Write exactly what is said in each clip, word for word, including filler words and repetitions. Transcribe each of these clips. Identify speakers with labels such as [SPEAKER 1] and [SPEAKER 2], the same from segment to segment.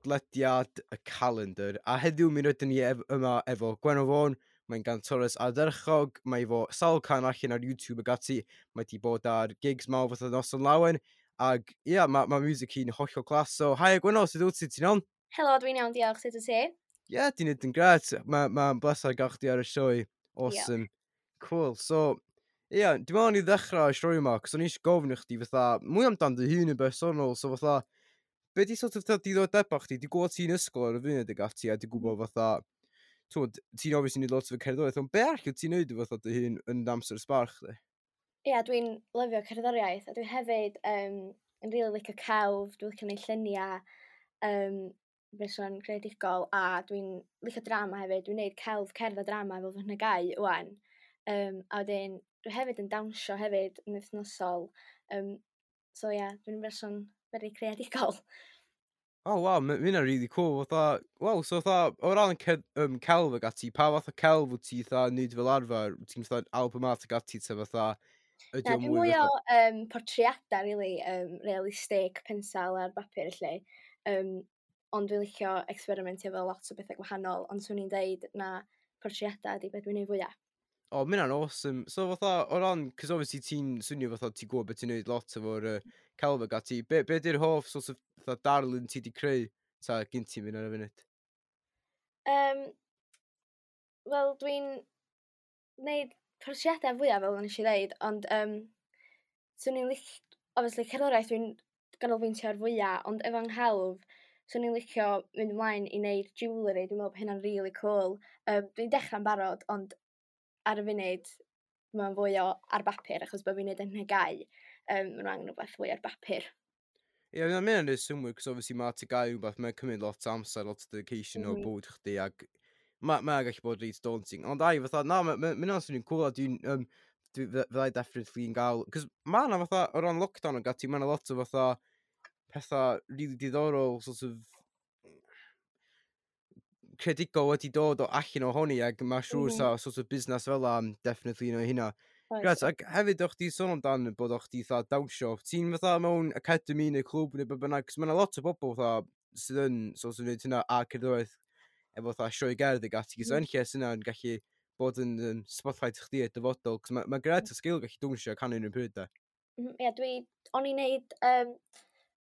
[SPEAKER 1] Podlediad y Calendar. A heddiw mi rydyn ni ef yma efo Gwenno Fôn, mae'n gantores ardderchog, mae efo sawl can allan ar YouTube ag ati, mae di bod ar gigs mawr fatha Noson Lawen, ag ia, yeah, mae ma music hi'n hollol class. So, hi Gwenno, sut wyt ti, ti'n iawn?
[SPEAKER 2] Helo, dwi'n iawn, diolch, sut wyt ti?
[SPEAKER 1] Ie, yeah, ti'n neud yn gret. Mae'n ma bleser gael chdi ar y sioe. Awesome. Yeah. Cool. So, ie, yeah, dwi'n meddwl ni ddechrau y sioe yma, cos o'n i eisiau gofyn i chdi fatha, mwy amdan dy hun yn bersonol, so fatha, be di sort of fatha diddordebau chdi? Dwi'n gwybod ti'n ysgol ar y funud ag ati, a dwi'n gwybod fatha, t'wod, ti'n obviously neud lot o cerddoriaeth, ond be arall wyt ti'n neud fatha dy hun yn amser sbar chdi?
[SPEAKER 2] Ie, yeah, dwi'n lyfio cerddoriaeth, a dwi hefyd um, yn rili licio celf, dwi'n licio neud lluniau, um, person creadigol, a dwi'n licio drama hefyd, dwi'n neud celf, cerdd a drama efo fy nhygau ŵan. Um, a wedyn, dwi hefyd yn dawnsio hefyd yn wythnosol. Um, so ie, yeah, dwi'n berson very creadigol.
[SPEAKER 1] Oh, wow, mae hynna'n really cool. Fatha, wow, so fatha, o ran ce um, celf ag ati, pa fath o celf wyt ti fatha neud fel arfer? Wyt ti'n fatha album art ag ati, ta fatha,
[SPEAKER 2] ydy o mwy mwy o um, portreadau, really, um, realistig, pensel ar bapur, felly. Um, ond dwi'n licio experimentio efo lot o bethau gwahanol, ond swn i'n deud na portreadau ydy beth dwi'n neud fwyaf.
[SPEAKER 1] O, oh, mae hynna'n awesome. So fatha, o ran, cos obviously ti'n swnio fatha ti'n gwybod beth ti'n neud lot efo'r uh, celf ag ati, be, be di'r hoff sort of fatha darlun ti di creu ta gyn ti mynd ar y funud?
[SPEAKER 2] Um, Wel, dwi'n neud portreadau fwyaf fel nes i ddeud, ond um, swn i'n lic... Obviously, cerddoriaeth dwi'n ganolbwyntio ar fwyaf, ond efo nghelf, swn i'n licio mynd ymlaen i wneud jewellery, dwi'n meddwl bod hynna'n really cool. Um, dwi'n dechrau'n barod, ond ar y funud, mae'n fwy o ar bapur, achos bod fi'n neud yn nhygau. Um, Mae'n angen rhywbeth fwy ar bapur.
[SPEAKER 1] Ie, yeah, mae'n mynd yn synnwyr, cos obviously mae T G A U rhywbeth, mae'n cymryd lot o amser, lot o dedication mm -hmm. o mhm. bywyd chdi, ag mae ma gallu bod reit daunting. Ond ai, fatha, na, mae'n ma, ma swnio'n cool, a dwi'n, um, dwi, fyddai definitely yn gael, cos mae yna fatha, o ran lockdown ag ati, mae yna lot o fatha, pethau really diddorol, sort of, creadigol wedi dod o allan ohoni, ac mae siŵr mm -hmm. sa sort of busnes fel am definitely un o hynna. Gret, ac hefyd o'ch di sôn amdan bod o'ch di fatha dawnsio. Ti'n fatha mewn academy neu clwb neu be bynnag, cos mae yna lot o bobl fatha sydd yn sort of wneud hynna a cerddoriaeth efo fatha sioe gerdd ag ati. Mm. So yn lle sydd yn gallu bod yn um, spotlight chdi y dyfodol, cos mae ma gret o sgil gallu dawnsio a canu yn y pryd da.
[SPEAKER 2] Ie, yeah, dwi, o'n i'n neud um,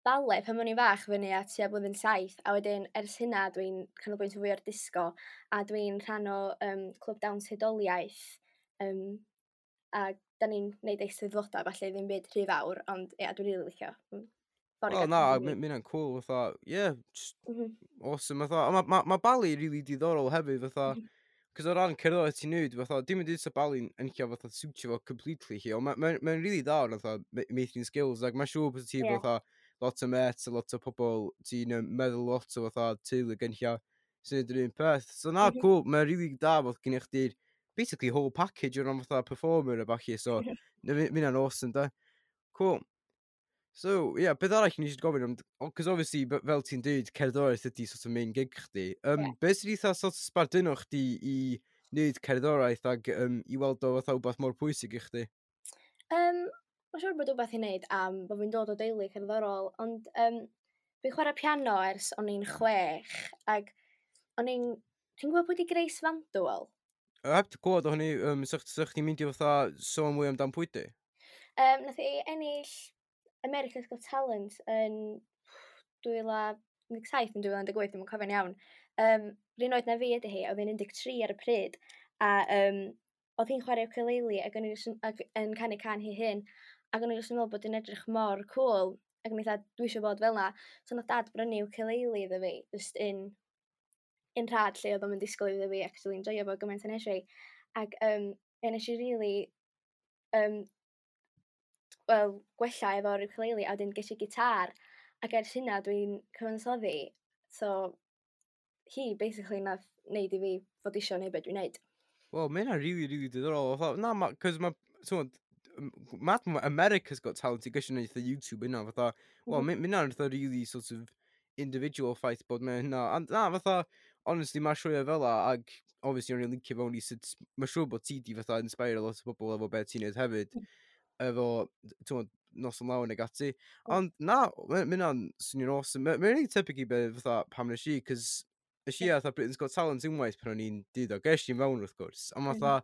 [SPEAKER 2] ballet pan o'n i'n fach fyny at tua blwyddyn saith, a wedyn ers hynna dwi'n canolbwyntio fwy ar disgo, a dwi'n rhan o um, clwb dawns hudoliaeth, um, a da ni'n neud eisteddfodau, falle ddim byd rhy fawr, ond ie, yeah, dwi'n rili licio.
[SPEAKER 1] Wel, na, mae hynna'n cool, fatha, yeah, just mm -hmm. awesome, fatha, mae ma, ma ballet really diddorol hefyd, fatha, mm -hmm. Cos o ran cerddoriaeth ti'n neud, fatha, dim yn dweud sa ballet'n yn lle fatha siwtio fo completely chi, ond mae'n ma, ma really dda o'r fatha meithrin skills, ac mae'n siŵr bod ti yeah. fatha lot o mates a lot o pobl ti'n meddwl lot o fatha teulu gen lle sy'n neud yr un peth. So na, mm -hmm. cool, mae'n really da bod gen i chdi'r basically whole package o ran fatha performer a ballu, so mm -hmm. hynna'n awesome, da. Cool. So, ie, yeah, beth arall ni eisiau gofyn, cos obviously, fel ti'n dweud, cerddoriaeth ydy sort of main gig chdi. Um, yeah. Beth sydd eitha sort of sbarduno chdi i wneud cerddoriaeth ag um, i weld o fatha wbath mor pwysig i chdi?
[SPEAKER 2] Um, Mae'n siŵr bod wbath i wneud am bod fi'n dod o deulu cerddorol, ond um, fi'n chwarae piano ers o'n i'n chwech, ac o'n i'n... Ti'n gwybod pwy di Grace VanderWaal?
[SPEAKER 1] Heb di gwybod o hynny, um, sa'ch sa chdi'n mynd i fatha sôn mwy amdan pwy di?
[SPEAKER 2] Um, nath i ennill America's Got Talent yn dwy fil un deg saith yn dwy fil un deg wyth, dwi'n cofio'n iawn. Um, R'un oed na fi ydy hi, oedd hi'n un deg tri ar y pryd, a um, oedd hi'n chwarae ukulele ac o'n i ac yn canu can hi hyn, ac o'n i jyst yn meddwl bod hi'n edrych mor cool, ac o'n i dweud, "Dwi eisiau bod fel 'na." So nath Dad brynu ukulele iddo fi, just un, un rhad lle oedd o'n disgwyl iddo fi actually enjoyo fo gymaint â nes i. Ac um, ie, nes i really um, wel, gwella efo'r ukulele, a wedyn ges i gitar, ac ers hynna dwi'n cyfansoddi, so hi basically nath neud i fi fod isio neud beth dwi'n neud.
[SPEAKER 1] Wel, mae hynna'n really, really diddorol. Fatha, na, ma, cos ma, t'mod, ma, ma America's Got Talent i gysio neud YouTube yna, fatha, wel, mm -hmm. mae hynna'n fatha really sort of individual ffaith bod mae hynna, and na, fatha, honestly, mae sioeau fel la, ag obviously o'n i'n lincio fewn i sut, mae'n siŵr bod ti di fatha inspire a lot o bobl efo beth ti'n neud hefyd, mm. efo, t'mod, Noson Lawen ag ati. Ond na, mae hynna'n swnio'n awesome. Mae'n really tebyg i be fatha pam nes i, cos nes i fatha Britain's Got Talent unwaith pan o'n i'n deuddeg o, ges i mewn wrth gwrs. Ond fatha,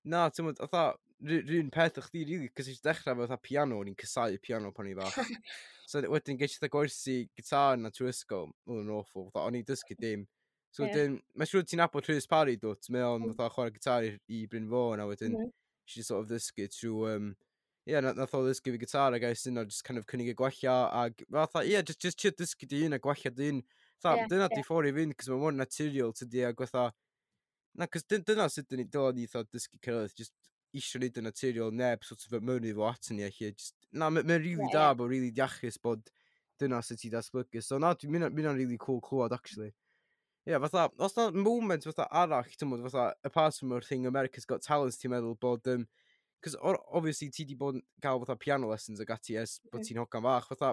[SPEAKER 1] na, ti'n gwbod, fatha, rhywun peth o'ch di, really, cos eisiau dechrau fatha piano, o'n i'n casáu piano pan o'n i'n fach. So wedyn ges i fatha gwersi gitar na trwy ysgol, oedd yn awful, fatha, o'n i'n dysgu dim. So yeah. wedyn, mae'n siŵr ti'n nabod Rhys Parry, dwt, mae o'n mm. fatha chwarae gitar i, i Bryn Fôn, a wedyn, mm -hmm. she sort of ddysgu trwy, um, yeah, nath o ddysgu fi gitar ac ers yna just kind of cynnig y gwella ag fatha, yeah, just, just trio dysgu dy hun a gwella dy hun. Fatha, yeah, dyna yeah. di ffordd i fynd, cos mae mor naturiol tydi ag fatha, na, cos dyna sut dyn ni, dyla ni fatha dysgu cerddoriaeth, just isio neud yn naturiol, neb sort of mewn i fo ato ni, a just, na, mae'n really yeah, da, yeah. bod really iachus bod dyna sut ti datblygu. So na, dwi'n mynd really cool clywed, actually. Ie, yeah, fatha, os na moment fatha arall, ti'n gwbod, fatha, apart from yr thing America's Got Talent, ti'n meddwl bod, um, cos obviously ti di bod yn gael fatha piano lessons ag ati ers bod mm. ti'n hogan fach, fatha,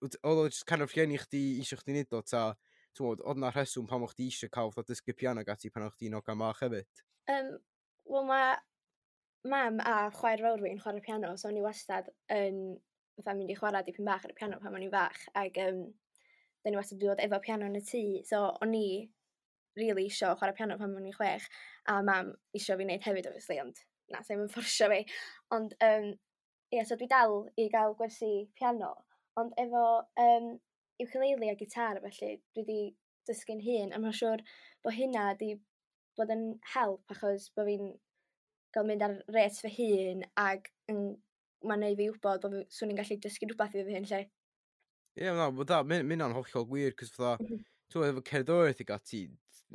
[SPEAKER 1] oedd o just kind of rhieni chdi isio chdi neud o, ta, ti'n gwbod, oedd na rheswm pam o'ch chdi isio cael fatha dysgu piano ag ati pan o'ch chdi'n hogan fach hefyd?
[SPEAKER 2] Um, Wel, mae mam a chwaer fawr fi'n chwarae piano, so o'n i wastad yn fatha mynd i chwarae dipyn bach ar y piano pan o'n i'n fach, ac um, da ni wastad wedi bod efo piano yn y tŷ, so o'n i really isio chwarae piano pan o'n i'n chwech, a mam isio fi wneud hefyd, obviously, ond na, sa'n yn fforsio fi. Ond, um, ie, yeah, so dwi dal i gael gwersi piano, ond efo um, ukulele a gitar, felly, dwi wedi dysgu'n hun, a mae'n siŵr bod hynna di bod yn help, achos bod fi'n gael mynd ar rate fy hun, ac yn, mae'n neud fi wybod bod fi, swn i'n gallu dysgu rhywbeth i fi hun, lle.
[SPEAKER 1] Ie, yeah, na, bod that, mae'n hollol gwir, cos fatha, mm -hmm. ti'n efo cerddoriaeth i gati,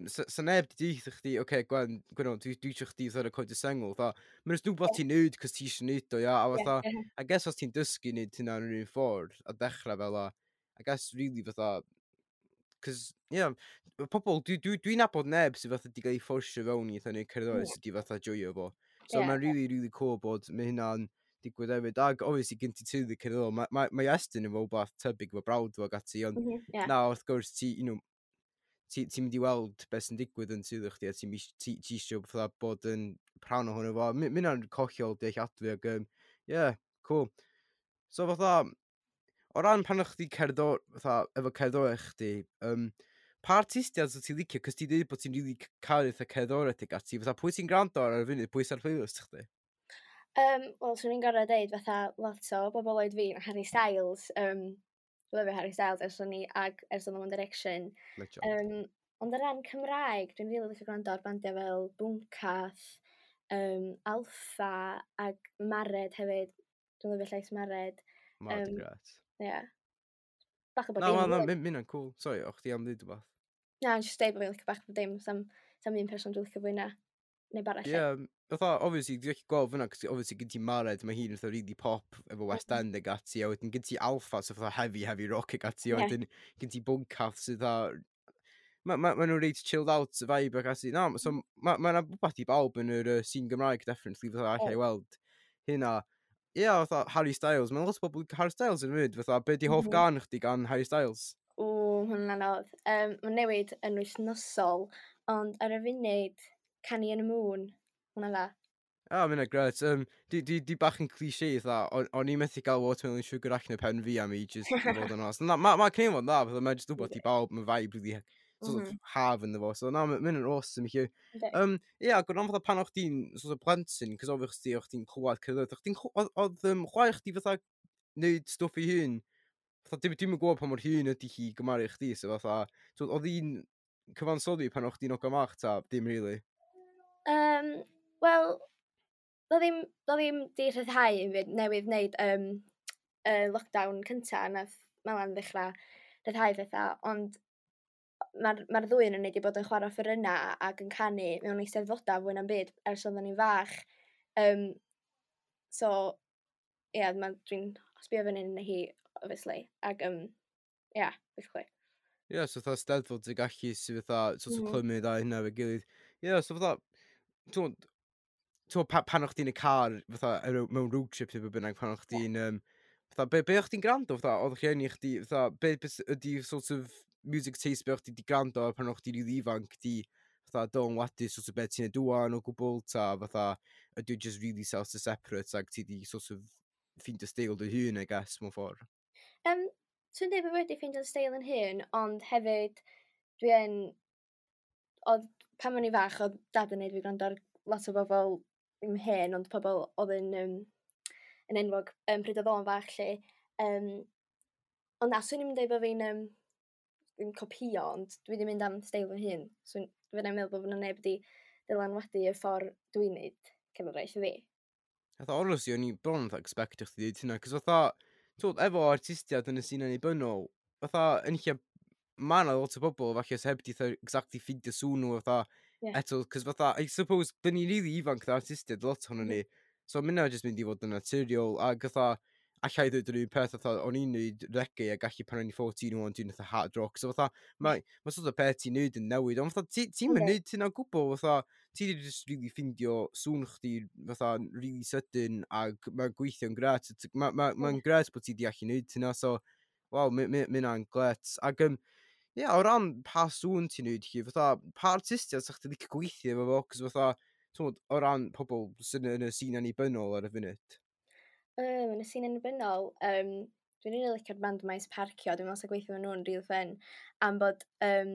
[SPEAKER 1] sa, sa neb di deutha chdi, oce, okay, Gwen, Gwen, dwi, dwi eisiau chdi fatha recordio sengl, fatha, mae'n jyst rhywbeth ti'n neud, cos ti eisiau neud o, ia, a fatha, yeah, yeah. I guess os ti'n dysgu neud hynna yn yr un ffordd, a dechrau fel a, I guess really fatha, cos, yeah, pobl, dwi'n dwi, dwi nabod neb sydd fatha di gael ei fforsio fewn i fatha neud cerddoriaeth mm. sydd di fatha joio fo. So yeah. mae'n really, really cool bod mae hynna'n digwydd hefyd. Ag, obviously, gen ti teulu cerddorol, mae ma, ma Iestyn efo wbath tebyg efo brawd fo ac ati, ond mm -hmm, yeah. na, wrth gwrs, ti, you know, ti'n ti mynd i weld beth sy'n digwydd yn teulu chdi, a ti'n ti, ti eisiau fatha bod yn rhan ohono fo. Mi hynna'n hollol dealladwy ac, um, yeah, cool. So fatha, o ran pan o'ch chdi cerddor, fatha, efo cerddoriaeth chdi, um, pa artistiaid wyt ti'n licio, cos ti'n dweud bod ti'n really caru fatha cerddoriaeth ag ati, fatha pwy ti'n gwrando ar ar y funud, pwy sy'n ar playlist chdi?
[SPEAKER 2] Um, Wel, swn i'n gorfod deud fatha lot o bobl oed fi, Harry Styles, um, lyfio Harry Styles ers o'n i ag ers oedd One Direction.
[SPEAKER 1] Legend.
[SPEAKER 2] Um, ond o ran Cymraeg, dwi'n rili licio gwrando ar bandiau fel Bwncath, um, Alffa ag Mared hefyd. Dwi'n lyfio llais Mared.
[SPEAKER 1] Mared um, gret.
[SPEAKER 2] Ie. Yeah. Bach o bod
[SPEAKER 1] Na,
[SPEAKER 2] dim.
[SPEAKER 1] na, na,
[SPEAKER 2] rili.
[SPEAKER 1] mi hynna'n cool. Sorry, o'ch ti am ddweud rhywbeth?
[SPEAKER 2] Na, jyst deud bod fi'n licio bach o bob dim. Sam, sam un person dwi'n licio fwy na neb arall.
[SPEAKER 1] Ie, yeah, fatha, obviously, dwi'n gallu gweld fyna, cos obviously gen ti Mared, mae hi'n fatha really pop efo West
[SPEAKER 2] Mm.
[SPEAKER 1] End ag ati, a wedyn gen ti Alffa, so fatha heavy, heavy rock ag ati, a
[SPEAKER 2] Ie.
[SPEAKER 1] wedyn gen ti Bwncath sydd fatha... Mae ma, ma nhw'n reit chilled out vibe ag ati. Na, so mae ma 'na rhywbeth i bawb yn yr uh, scene Gymraeg, definitely, fatha allai weld hynna. Ie, yeah, fatha Harry Styles, mae'n lot o bobl Harry Styles yn mynd, fatha, be di hoff
[SPEAKER 2] Mhm.
[SPEAKER 1] gan chdi gan Harry Styles?
[SPEAKER 2] Ww, hwnna'n anodd. Um, Mae'n newid yn wythnosol, ond ar y funud, Canu yn y Moon, hwnna dda.
[SPEAKER 1] Ah, mae'n gret. Um, di, di, di bach yn cliché, fatha, o'n o'n i methu gael Watermelon Sugar allan o pen fi am ages, i fod yn onest. Na, ma, ma cyn fod dda, fatha, mae'n just rhywbeth i bawb, mae vibe really sort of
[SPEAKER 2] Mhm.
[SPEAKER 1] haf ynddo fo. So na, mae'n awesome i chi.
[SPEAKER 2] Yndi.
[SPEAKER 1] Um, ie, yeah, ac o ran fatha pan o'ch chdi'n sort of plentyn, cos obviously o'ch chdi'n clywed cerddoriaeth, o'ch chdi'n clw- oedd, oedd um, chwaer chdi fatha neud stwff ei hun? Fatha, dim, dwi'm yn gwybod pa mor hŷn ydy hi gymharu chdi, so fatha, so, oedd hi'n cyfansoddi pan o'ch chdi'n hogan fach, ta, dim really?
[SPEAKER 2] Um, Wel, doedd ddim, doedd ddim di rhyddhau yn fyd newydd wneud um, y lockdown cynta, nath Malan ddechrau rhyddhau pethau, ond mae'r ma ddwy yn ni wedi bod yn chwarae offerynnau ac yn canu mewn eisteddfodau fwy na'n byd ers oedden ni'n fach. Um, so, ie, yeah, dwi'n sbio fyny yn hi, obviously, ac, um, yeah, basically.
[SPEAKER 1] Ie, yeah, so fatha steddfod sy'n gallu sydd fatha sort of
[SPEAKER 2] Mhm.
[SPEAKER 1] clymu dda hynna efo'i gilydd. Ie, yeah, so fatha, ti'n gwbod, pa, pan o'ch chdi'n y car, fatha, ar- mewn road trip neu be bynnag, pan o'ch chdi'n, um, fatha, be, be o'ch chdi'n gwrando, fatha, oedd rhieni chdi, fatha, be, be s- ydi sort of music taste be o'ch chdi 'di gwrando ar pan o'ch chdi'n rili ifanc, di, fatha, dylanwadu sort of be ti'n neud ŵan o gwbl, ta, fatha, ydy o just really self separate, ag ti di sort of ffeindio steil dy hun, I guess, mewn ffordd?
[SPEAKER 2] Um, Dwi'n dweud bod wedi ffeindio steil yn hun, ond hefyd dwi yn... Oedd, pan o'n i fach, oedd dad yn neud fi gwrando ar lot o bobl ddim hen, ond pobl oedd yn, um, yn enwog um, pryd oedd o'n fach, lle. Um, ond na, swn i'n dweud bod fi'n um, ddim copio, ond dwi wedi mynd am steil fy hun. So, dwi'n meddwl bod yna neb wedi dylanwadu y ffordd dwi'n neud cerddoriaeth fi.
[SPEAKER 1] Fatha, honestly, o'n i bron fatha expectio chdi dweud hynna, cos fatha, twyd, efo artistiaid yn y sîn annibynnol, fatha, yn lle, ma' 'na lot o bobl falle sy heb 'di fatha exactly ffeindio sŵn nhw fatha,
[SPEAKER 2] Ie.
[SPEAKER 1] eto, cos fatha, I suppose, dyn ni really ifanc fatha artistiaid, lot ohonon ni, so ma' hynna jyst mynd i fod yn naturiol, ag fatha, alla i ddweud yr un peth, fatha, o'n i'n neud reggae a gallu pan o'n i fourteen wan, dwi'n fatha hard rock, so fatha, mae ma sort of beth ti'n neud yn newid, ond fatha, ti, ti'n mynd
[SPEAKER 2] Yndi.
[SPEAKER 1] neud hynna o gwbl, fatha, ti di just really ffindio sŵn chdi, fatha, really sydyn, ag mae'n gweithio'n gret, mae'n ma, ma
[SPEAKER 2] Ie.
[SPEAKER 1] gret bod ti di allu neud hynna, so, waw, mi hynna'n gret. Ac, um, ie, o ran pa sŵn ti'n neud chi, fatha, pa artistiaid sa'ch chdi licio gweithio efo fo, cos fatha, t'mod, o ran pobl sy'n yn y sîn annibynnol ar y funud.
[SPEAKER 2] Um, yn y sîn annibynnol, um, dwi'n rili licio'r band Maes Parcio, dwi'n meddwl sa gweithio efo nhw'n really fun, am bod, um,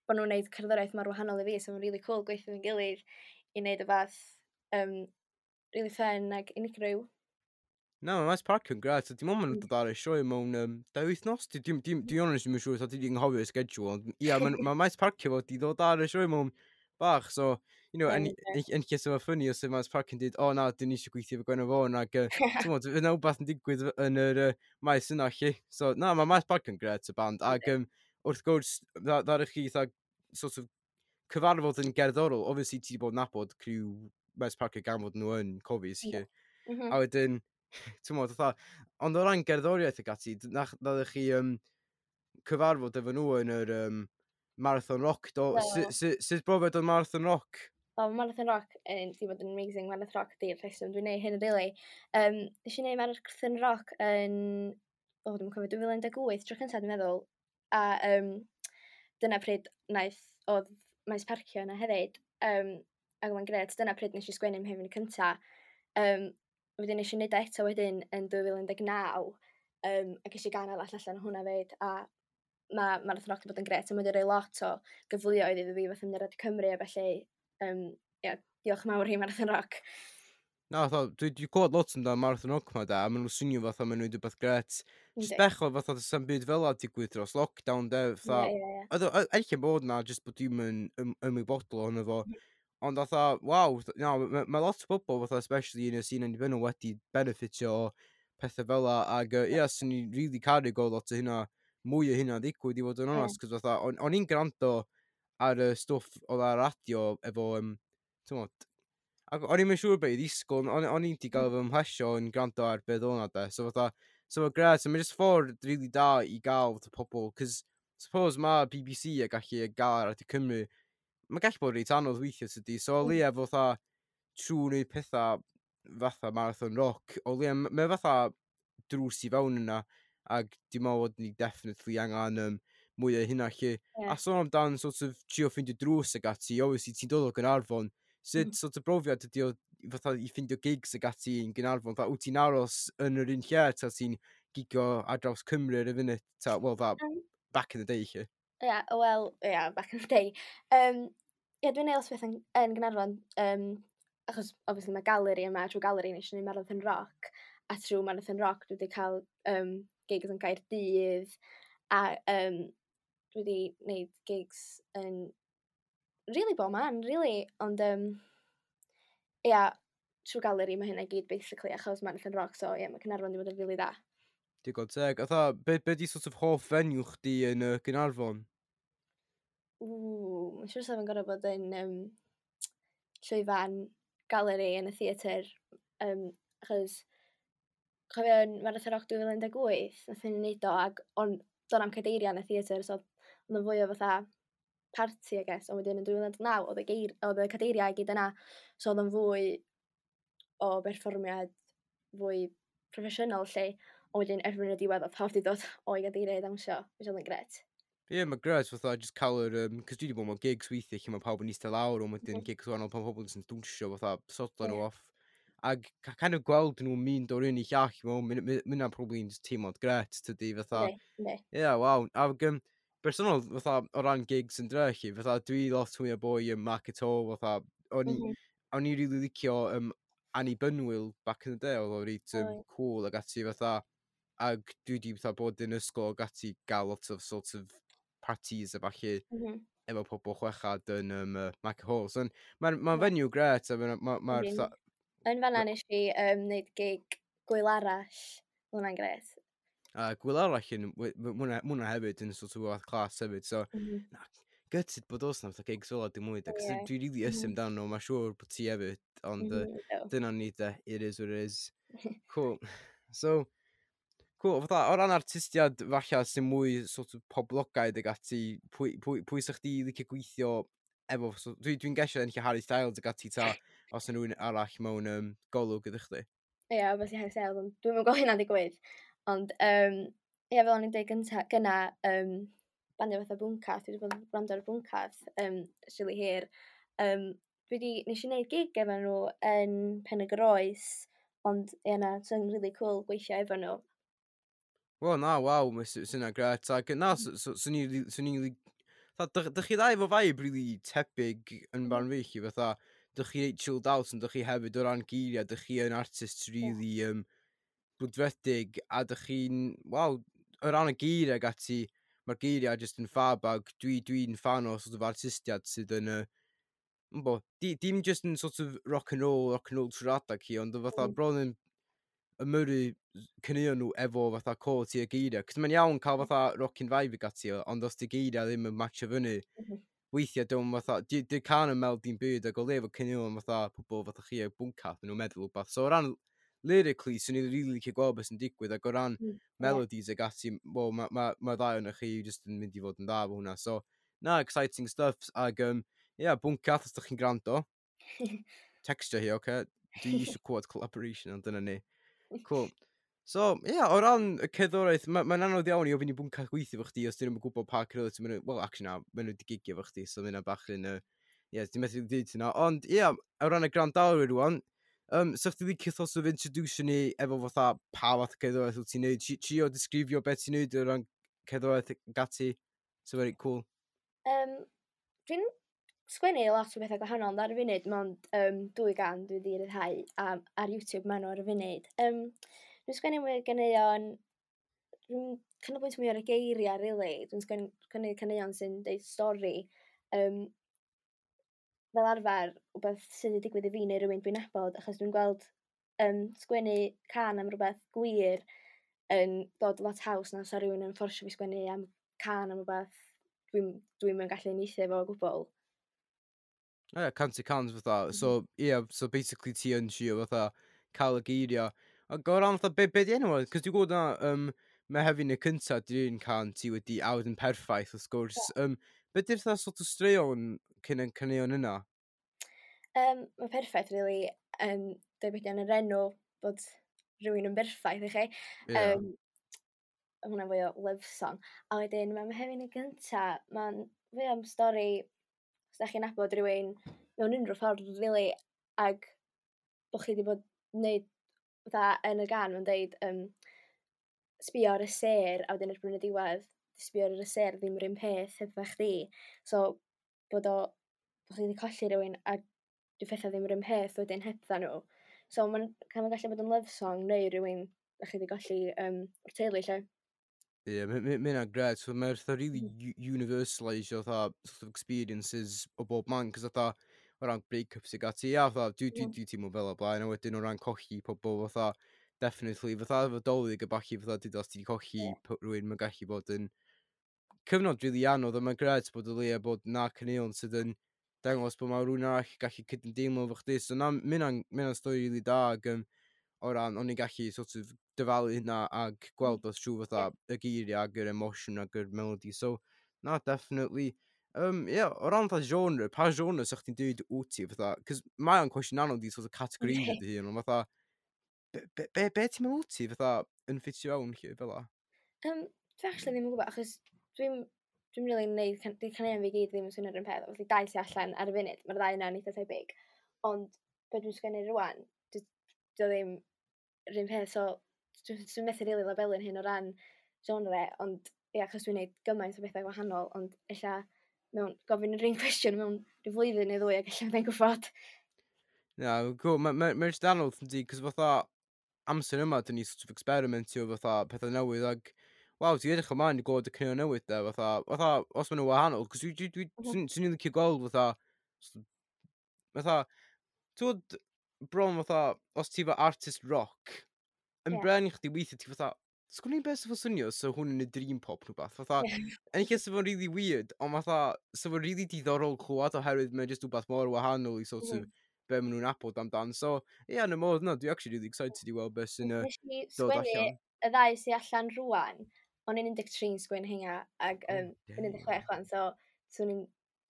[SPEAKER 2] bod nhw'n neud cerddoriaeth mor wahanol i fi, so mae'n really cool gweithio efo'n gilydd i wneud y fath um, really fun ag unigryw.
[SPEAKER 1] Na, mae Maes Parcio'n gret, a dim ond maen nhw'n
[SPEAKER 2] Mm.
[SPEAKER 1] dod ar y sioe mewn um, dau wythnos. Dwi, dwi, dwi, dwi honest ddim yn siŵr, dwi 'di anghofio y schedule, ond ia, mae ma Maes Parcio fod i ddod ar y sioe mewn bach, so, you know, yn,
[SPEAKER 2] Ie.
[SPEAKER 1] yn, yn lle sef funny os yw Maes Parcio'n dweud, o na, dyn ni eisiau gweithio efo Gwenno Fôn, ac, uh, ti'n fydd yna wbath yn digwydd yn yr uh, maes yna, lle. So, na, mae Maes Parcio'n gret, y band, ac um, wrth gwrs, dda- ddaru chi, fatha, sort of, cyfarfod yn gerddorol, obviously ti 'di bod yn nabod criw Maes Parcio gan fod nhw yn Cofis,
[SPEAKER 2] Yndw.
[SPEAKER 1] lle.
[SPEAKER 2] Mhm.
[SPEAKER 1] A wedyn, ti'n modd, fatha, ond o ran gerddoriaeth ag ati, d- nach, ddadach chi um, cyfarfod efo nhw yn yr um, Marathon Rock, do?
[SPEAKER 2] Do.
[SPEAKER 1] Su- su- Sut brofiad oedd Marathon Rock?
[SPEAKER 2] O, ma' Marathon Rock yn di bod yn amazing. Marathon Rock di'r rheswm dwi'n neud hyn, really. Um, nes i neud Marathon Rock yn, o, dwi'n cofio, dwy fil un deg wyth, tro cyntaf dwi'n meddwl. A um, dyna pryd naeth, oedd Maes Parcio yna hefyd. Um, ac oedd o'n gret, dyna pryd nes i sgwennu 'Mhefn cynta. Um, wedyn nes i neud o eto wedyn yn dwy fil un deg naw. Um, a ges i gan arall allan o hwnna fyd. A mae Marathon Rock wedi bod yn gret. A mae wedi rhoi lot o gyfleoedd iddo fi fatha mynd ar Radio Cymru a felly, um, ie, diolch yn mawr i Marathon Rock.
[SPEAKER 1] Na, fatha, dwi wedi clywed lot amdano Marathon Rock ma da, a maen nhw'n swnio fatha maen nhw'n rhywbeth gret. Just
[SPEAKER 2] Yndi.
[SPEAKER 1] bechod fatha does 'na'm byd fel 'a digwydd dros lockdown, de, fatha,
[SPEAKER 2] Ie, ie, ie.
[SPEAKER 1] Oedd o, ella bod na, jyst bod dwi'm yn ym, ymwybodol ohono fo. Ond fatha, waw, na, mae ma lot o bobl, fatha, especially yn y sîn annibynnol, wedi benefitio o pethau fel 'a, ac yy, ie, swn i'n really caru gweld lot o hynna, mwy o hynna ddigwydd, i fod yn
[SPEAKER 2] Ie.
[SPEAKER 1] onest, cos fatha, o'n o'n i'n gwrando ar y stwff oedd ar radio efo, um, t'mod, ac o'n i'm yn siŵr beth i ddisgwyl, o'n o'n i 'di gael fy mhlesio yn gwrando ar beth oedd hwnna de, so fatha, so mae'n gret, so mae'n just ffordd really da i gael fatha pobl, cos suppose ma B B C a gallu gael ar Radio Cymru, mae'n gallu bod reit anodd weithio tydi, so o
[SPEAKER 2] Mm.
[SPEAKER 1] leia fatha trwy wneud pethau fatha Marathon Rock, o leia, m- mae fatha drws i fewn yna, ac dwi'n meddwl bod ni definitely angen um, mwy o hynna lle.
[SPEAKER 2] Ie.
[SPEAKER 1] A sôn amdan sort of trio ffeindio drws ag ati, obviously ti'n dod o Gaernarfon, sut
[SPEAKER 2] Mm.
[SPEAKER 1] sort of brofiad ydi o fatha i ffeindio gigs ag ati yn Gaernarfon, fatha wyt ti'n aros yn yr un lle, ta ti'n gigio ar draws Cymru ar y funud, ta, well, that,
[SPEAKER 2] Um,
[SPEAKER 1] back in the day lle.
[SPEAKER 2] Ie, wel, ie, back in the day. Um, ie, dwi'n neud lot o beth yn, yn Gaernarfon, um, achos obviously mae Galeri yma, trwy Galeri nes i wneud Marathon Rock, a trwy Marathon Rock dwi wedi cael um, gigs yn Gaerdydd, a um, dwi wedi gwneud gigs yn really bob man, really, ond um, ia, trwy Galeri mae hynna i gyd basically, achos Marathon Rock, so ie, mae Caernarfon wedi bod yn really dda.
[SPEAKER 1] Digon teg. Fatha, be, be di sort of hoff venue chdi yn uh, Gaernarfon?
[SPEAKER 2] Ww, mae'n siŵr sef yn gorfod bod yn um, llwyfan Galeri yn y theatr, um, achos cofio yn Marathon Rock dwy fil un deg wyth, nath ni wneud o, ac on, do'n am cadeiriau yn y theatr, so oedd o'n fwy o fatha party, I guess, ond wedyn yn dwy fil un deg naw, oedd y, geir, oedd y cadeiriau i gyd yna, so oedd o'n fwy o berfformiad fwy proffesiynol lle, ond wedyn erbyn y diwedd oedd pawb wedi dod o'i gadeiriau i ddawnsio, which oedd yn gret.
[SPEAKER 1] Ie, yeah, mae gret, fatha, just cael yr... Um, Cos dwi wedi bod mewn gigs weithiau lle mae pawb yn eistedd lawr, ond wedyn
[SPEAKER 2] Mhm.
[SPEAKER 1] gigs wahanol pan pobl jyst yn dwnsio, fatha, sodlo nhw
[SPEAKER 2] Ie.
[SPEAKER 1] off. Ag kind of gweld nhw'n mynd o'r un i llall, mae'n mynd probably yn teimlad gret, tydi, fatha.
[SPEAKER 2] Ie,
[SPEAKER 1] yeah, waw. Ag, um, bersonol, fatha, o ran gigs yn drechu, fatha, dwi lot mwy o boi ym Market Hall, fatha, o'n i, mm -hmm. o'n i really licio um, Annibynnwyl back in the day, oedd o reit um, oh. cool ag ati, fatha, ag dwi di fatha bod yn ysgol ag ati gael lot of sort of parties a falle
[SPEAKER 2] mm -hmm.
[SPEAKER 1] efo pobl chwechad yn um, uh, Market Hall. So, mae'n ma, ma venue gret, a mae'n ma, ma, ma,
[SPEAKER 2] Yn fanna nes i um, wneud gig Gwyl Arall. Hwnna'n gret.
[SPEAKER 1] A uh, Gwyl Arall yn, mwna hefyd yn sort of fath class hefyd, so mm -hmm. na, gutted bod oes na fatha gigs fel dim mwy, yeah. Dwi'n really mm -hmm. amdano nhw, mae'n siŵr bod ti hefyd, ond mm -hmm. uh, dyna ni de, it is what it is. Cool. So, cool, fatha, o ran artistiad falle sy'n mwy sort of poblogaidd ag ati, pwy, pwy, pwy sa'ch chdi licio gweithio efo, so, dwi'n dwi gesio enll Harry Styles ag ati ta, os yna rhywun arall mewn um, golwg ydych chdi?
[SPEAKER 2] Ie, yeah, obviously Harry Styles, ond dwi'n mynd gweld hynna'n digwydd. Ond, um, ie, fel o'n i'n dweud gynta, gynna, um, bandiau fatha Bwncath, dwi wedi bod yn gwrando ar Bwncath um, really hir. Um, dwi wedi, nes i wneud gig efo nhw yn Pen y Groes, ond ie na, sy'n really cool gweithio efo nhw.
[SPEAKER 1] Wel, na, waw, mae sy'n gret. Ac na, swn i'n... Dych chi ddau efo vibe really tebyg yn barn fi, chi, fatha, dych chi reit chilled out, ond dych chi hefyd o ran geiriau, dych chi yn artist really um, brwdfrydig, a dych chi'n, waw, o ran y geiriau ag ati, mae'r geiriau just yn fab, ac dwi, dwi'n fan o sort of artistiad sydd yn, uh, bo, di, dim just yn sort of rock and roll, rock and roll trwy'r adag hi, ond fatha mm. bron yn ymyrru caneuon nhw efo fatha quality y geiriau. Cos mae'n iawn cael fatha rockin' vibe ag ati, ond os di geiriau ddim yn matcho fyny, mm -hmm. weithiau dwi'n fatha, di, di can yn meld dim byd, ac o le efo caneuon fatha pobl fatha chi a Bwncath, nhw'n meddwl wbath. So o ran lyrically, swn i'n really licio gweld beth sy'n digwydd, ac o ran mm, melodies ag ati, well, mae ma, ma ddau o'n chi just yn mynd i fod yn dda efo hwnna. So, na, exciting stuff, ag, um, yeah, Bwncath, os ydych chi'n gwrando, textio hi, oce? Okay? Dwi eisiau clywed collaboration, ond dyna ni. Cool. So, ie, yeah, o ran y cerddoriaeth, mae'n ma anodd iawn i ofyn i Bwncath gweithio efo chdi os dyn nhw'n gwybod pa cerddoriaeth ti'n mynd, well, actually na, maen nhw wedi gigio efo chdi, so mae'n bach yn, uh, ie, ti'n methu dweud hynna. Ond, ie, yeah, o ran y gwrandawyr rwan, um, so chdi licio sort of introduce ni efo fatha pa fath o cerddoriaeth wyt ti'n neud, trio disgrifio beth ti'n neud o ran cerddoriaeth gati, so very cool.
[SPEAKER 2] Um, dwi'n sgwennu lot o bethau gwahanol, ond ar y funud, mond um, dwy gan dwi wedi ryddhau a, ar YouTube maen nhw ar y funud. Um, dwi'n sgwennu mwy o ganeuon, dwi'n canolbwyntio mwy ar y geiriau, really. Dwi'n sgwennu caneuon sy'n deud stori. Um, fel arfer, rhywbeth sydd wedi digwydd i fi neu rhywun dwi'n nabod, achos dwi'n gweld um, sgwennu can am rhywbeth gwir yn dod lot haws na sa rhywun yn fforsio fi sgwennu am can am rhywbeth dwi'n dwi yn gallu uniaethu efo o gwbl.
[SPEAKER 1] Ie, yeah, cant y cant fatha. So, ie, yeah, so basically ti yn trio fatha cael y geiriau. Ac o ran fatha, be, be di enw o? Cos dwi'n gwybod na, um, Mehefin y cynta, di'r un can ti wedi awd yn perffaith, wrth gwrs. Yeah. Um, be di'r fatha sort of straeon cyn yn caneuon yna?
[SPEAKER 2] Um, mae perffaith, really, yn dweud beth yn yr enw bod rhywun yn berffaith i chi.
[SPEAKER 1] Yeah.
[SPEAKER 2] Um, hwnna'n fwy o love song. A wedyn, mae Mehefin y gynta, mae'n fwy am stori, os da chi'n nabod rhywun mewn unrhyw ffordd, really, ag bod chi wedi bod wneud, fatha yn y gan, mae'n deud, um, sbio ar y sêr, a wedyn erbyn y diwedd, sbio ar y sêr ddim yr un peth hefo chdi. So, bod o, bod chi wedi colli rhywun a dwi pethau ddim yr un peth wedyn hebdda nhw. So, mae'n ma gallu bod yn love song neu rhywun da chi wedi colli um, o'r teulu, lle.
[SPEAKER 1] Ie, yeah, mae hynna'n gret. So, mae'n fatha really universalisio fatha sort of experiences o bob man, cos fatha o ran break-ups ag ati, ia, fatha, dwi, dwi, dwi teimlo fel o blaen, a wedyn o ran colli pobl, fatha, definitely, fatha efo Dolig a ballu, fatha, dyd os ti wedi colli yeah. rhywun, mae'n gallu bod yn cyfnod really anodd, a mae'n gret bod o leia bod na caneuon sydd yn dangos bod mae rhywun arall gallu cydymdeimlo efo chdi, so na, mae hynna'n stori really da, ac um, o ran, o'n i'n gallu sort of dyfalu hynna ag gweld o trwy fatha y geiriau ag yr emosiwn ag yr melody. So, na, definitely. Um, yeah, o ran fatha genre, pa genre sa'ch chdi'n dweud wyt ti fatha? Cos mae o'n cwestiwn anodd i sort of categorisio dy hun, ond fatha, be, be, be, be ti'n meddwl wyt ti fatha yn ffitio fewn lle fel la?
[SPEAKER 2] Um, dwi actually ddim yn gwybod, achos dwi'n dwi'n really neud, can, di caneuon fi gyd ddim yn swnio'r un peth. Felly dau sy'n allan ar y funud, mae'r ddau yna'n eitha tebyg. Ond be dwi'n sgwennu rwan, dio ddim yr un peth, so dwi'n dwi methu rili labelu'n hyn o ran genre, ond ia, achos dwi'n neud gymaint o bethau gwahanol, ond ella mewn gofyn yr un cwestiwn mewn rhyw flwyddyn neu ddwy ac ella fyddai'n gwybod.
[SPEAKER 1] Na, cool. Mae'n ma, ma jyst anodd yn di, cos fatha amser yma, dyn ni sort of experimentio fatha pethau newydd, ag waw, ti'n edrych ymlaen i glywed y caneuon newydd de, fatha, fatha, os maen nhw wahanol, cos dwi, dwi, dwi, mm -hmm. swn i'n licio gweld fatha, fatha, ti'n bron fatha, os ti efo artist rock, yn yeah. bren i chdi weithio, ti fatha, sgwn i'n beth sy'n swnio, so hwn yn y dream pop nhw beth, fatha, yeah. yn lle sy'n fo'n really weird, ond fatha, sy'n fo'n really diddorol clywed oherwydd mae'n just rhywbeth mor wahanol i sort of mm. be maen nhw'n nabod amdan. So, ie, yeah, yn y modd yna, dwi actually really excited i weld beth sy'n uh,
[SPEAKER 2] dod allan. Y ddau sy'n allan rwan, o'n i'n un deg tri yn sgwennu hynna, ac um, oh, un deg chwech wan, so swn i'n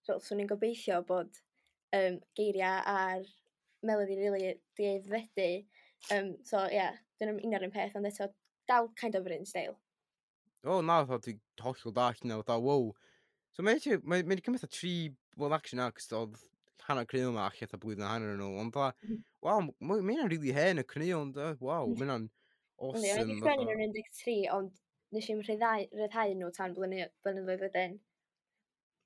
[SPEAKER 2] so, swn i'n gobeithio bod um, geiriau a'r melody really di aeddfedu. Um, so, ie, yeah, dyn nhw'n un o'r un peth, ond eto dal kind of yr un style.
[SPEAKER 1] O, oh, na, fatha, dwi'n hollol dall yna, fatha, wow. So mae'n mae, mae wedi cymryd fatha tri, well, actually na, cos oedd hanner caneuon yma allan fatha blwyddyn a hanner yn ôl, ond fatha, mm. wow, mae hynna'n really hen y caneuon, da, wow, mae hynna'n awesome.
[SPEAKER 2] O'n i wedi sgwennu nhw'n un deg tri, ond nes i'm rhyddhau, rhyddhau nhw tan blynyddoedd wedyn.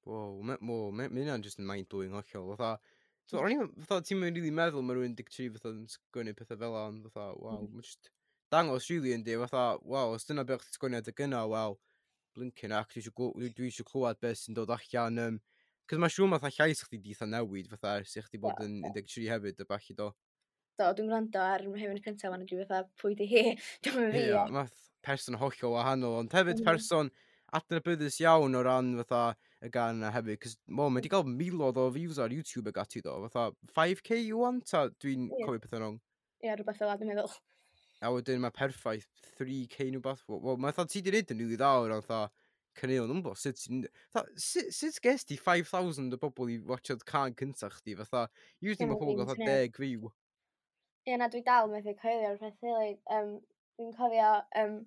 [SPEAKER 1] Wow, mae wow, hynna'n just yn mind-blowing hollol, fatha, so, o'n i'n, fatha, ti'n mynd really meddwl mae rhywun un deg tri fatha yn sgwennu pethau fel 'na, ond fatha, wow, mm. mae'n just dangos really yndi, fatha, wow, os dyna beth chdi sgwennu adeg yna, wel, blinking ac, dwi eisiau dwi eisiau clywed beth sy'n dod allan, um, cos mae'n siŵr fatha llais chdi di eitha newid, fatha, ers i chdi bod yn un deg tri hefyd, a ballu do.
[SPEAKER 2] Do, dwi'n gwrando ar Mehefin y cyntaf, a dwi fatha, pwy di hi? Dwi'n mynd fi.
[SPEAKER 1] Ie, math person hollol wahanol, ond hefyd mm. person adnabyddus iawn o ran fatha y gan yna hefyd, cos well, mae wedi cael miloedd o views ar YouTube ag ati do, fatha five K you want, a dwi'n yeah. cofio pethau wrong.
[SPEAKER 2] Ie, yeah, rhywbeth fel 'na dwi'n meddwl.
[SPEAKER 1] A wedyn mae perffaith three K nhw beth. Wel, mae fatha ti di neud yn rili dda o ran fatha caneuon, dwi'n gwybod sut ti'n... Sut, sut ges ti five thousand o bobl i watchad can cyntaf chdi, fatha, usually mae pobl gael fatha deg view.
[SPEAKER 2] Ie, na, dwi dal methu coelio'r peth rili. Um, dwi'n cofio um,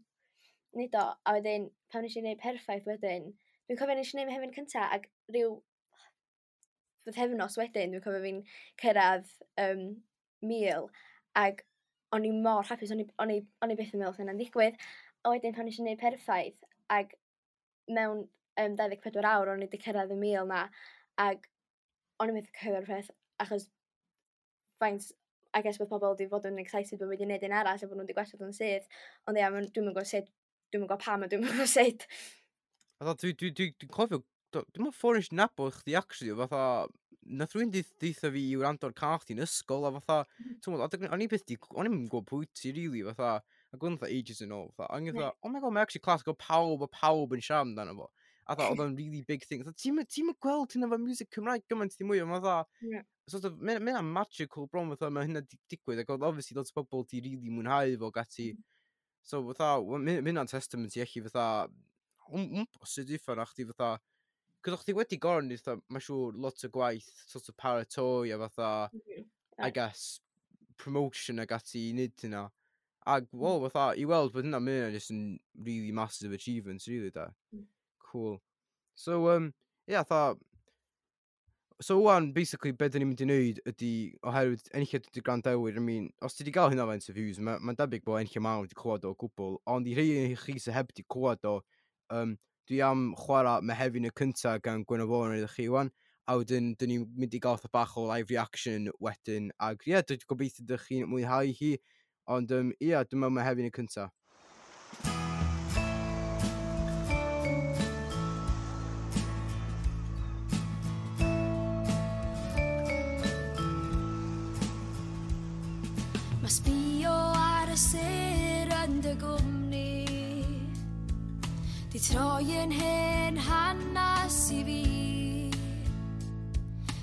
[SPEAKER 2] neud o, a wedyn, pan nes i wneud perffaith wedyn, dwi'n cofio nes i wneud Mehefin cynta, ac rhyw bythefnos wedyn, dwi'n cofio fi'n cyrraedd um, mil, ac o'n i mor hapus, o'n i, o'n i, o'n i byth yn meddwl hynna'n ddigwydd. A wedyn pan nes i wneud perffaith, ac mewn um, dau ddeg pedwar awr o'n i wedi cyrraedd y mil na, ac o'n i methu cyrraedd peth, achos faint, I guess bod pobl wedi fod yn excited bod wedi gwneud un arall a bod nhw wedi gwella o'n syth, ond ia, dwi'n mynd gwybod sut, dwi'n mynd gwybod pam a dwi'n mynd gwybod sut.
[SPEAKER 1] Fatha, dwi, dwi, dwi, dwi'n cofio, dwi'n meddwl ffordd nes i nabod chdi actually, fatha, nath rhywun deutha fi i wrando'r can chdi yn ysgol, a fatha, ti'n meddwl, o'n i byth di, o'n i'n gwybod pwy ti, really, fatha, ac o'n fatha ages yn ôl, fatha, o'n i'n fatha, oh my god, mae actually class, go pawb, a pawb yn siarad amdano fo. A fatha, oedd o'n really big thing. Fatha, ti'n ti'n gweld hynna efo music Cymraeg gymaint ddim mwy, ond fatha,
[SPEAKER 2] yeah.
[SPEAKER 1] sort of, mae'n ma magical bron, fatha, mae hynna di digwydd, ac oedd obviously lot o bobl di really mwynhau fo, gati. So, fatha, mae hynna'n testament i allu, fatha, wmpo, sut uffan, a chdi, fatha, cos o'ch chi wedi gorfod neud, fatha, mae'n siŵr, lot o gwaith, sort of paratoi, a fatha, mm -hmm. I guess, promotion ag ati i wneud hynna. Ac, well, fatha, i weld bod hynna, mae hynna just yn really massive achievement, really, da. Mm. Cool. So, um, yeah, fatha, so wan, basically, be dyn ni'n mynd i wneud ydy, oherwydd enilliad ydy gwrandawyr, I mean, os ti wedi gael hynna faint o views, mae'n ma debyg bod enilliad mawr wedi clywed o gwbl, ond i rhai i chi sydd heb wedi clywed o, um, dwi am chwarae Mehefin y cynta gan Gwenno Vaughan iddo chi wan, a wedyn dyn ni'n mynd i gael fatha bach o live reaction wedyn, ac ie, yeah, dwi'n gobeithio ydych chi'n mwynhau hi, ond um, ie, yeah, dyma Mehefin y cynta.
[SPEAKER 3] Mae sbio ar y sêr yn dy gwmni di troi yn hen hanas i fi.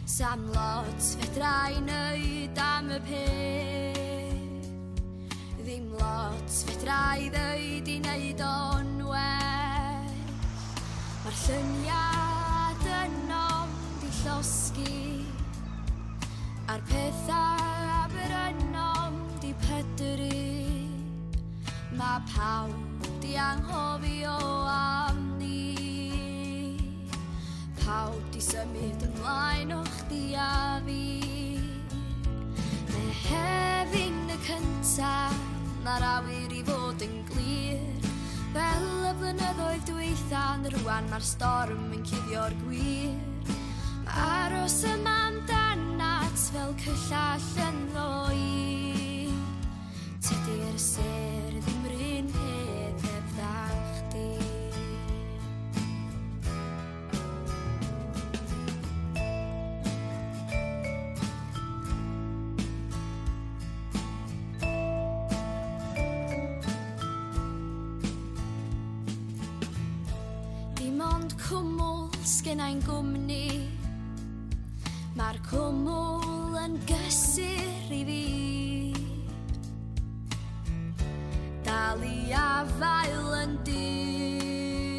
[SPEAKER 3] Sam lot fedra i neud am y peth, ddim lot fedra i ddeud i neud o'n well. Mae'r lluniad ynom di llosgi, a'r pethau brynom di pydru. Mae pawb di anghofio am ni, pawb di symud ymlaen o chdi a fi. Mehefin y cynta, na'r awyr i fod yn glir. Fel y blynyddoedd dwytha, rwan mae'r storm yn cuddio'r gwir. Aros yma amdanat fel cyllall ynddo i. Tydi'r sêr ddim run peth heb dda chdi. Dim ond cwmwl sgennai'n gwmni, mae'r cwmwl yn gysur i fi. Dal i afael yn dyn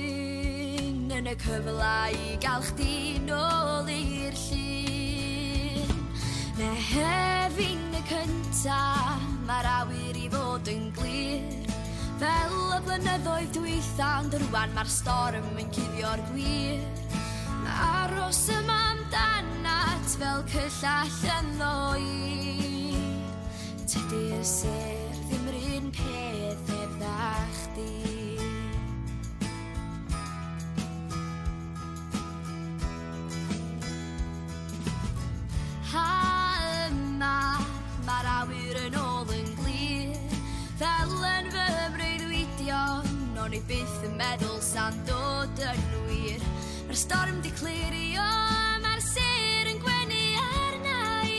[SPEAKER 3] yn y cyfle i gael chdi nôl i'r llun. Mehefin y cynta, mae'r awyr i fod yn glir. Fel y blynyddoedd dwytha, ond rwan mae'r storm yn cuddio'r gwir. Aros yma amdanat fel cyllall ynddo i. Tydi'r sêr ddim run peth heb dda chdi. Ha yma, mae'r awyr yn ôl yn glir. Fel yn fy mreuddwydion, o'n i byth yn meddwl sa'n dod yn wir. Mae'r storm di clirio, mae'r sêr yn gwenu arna i.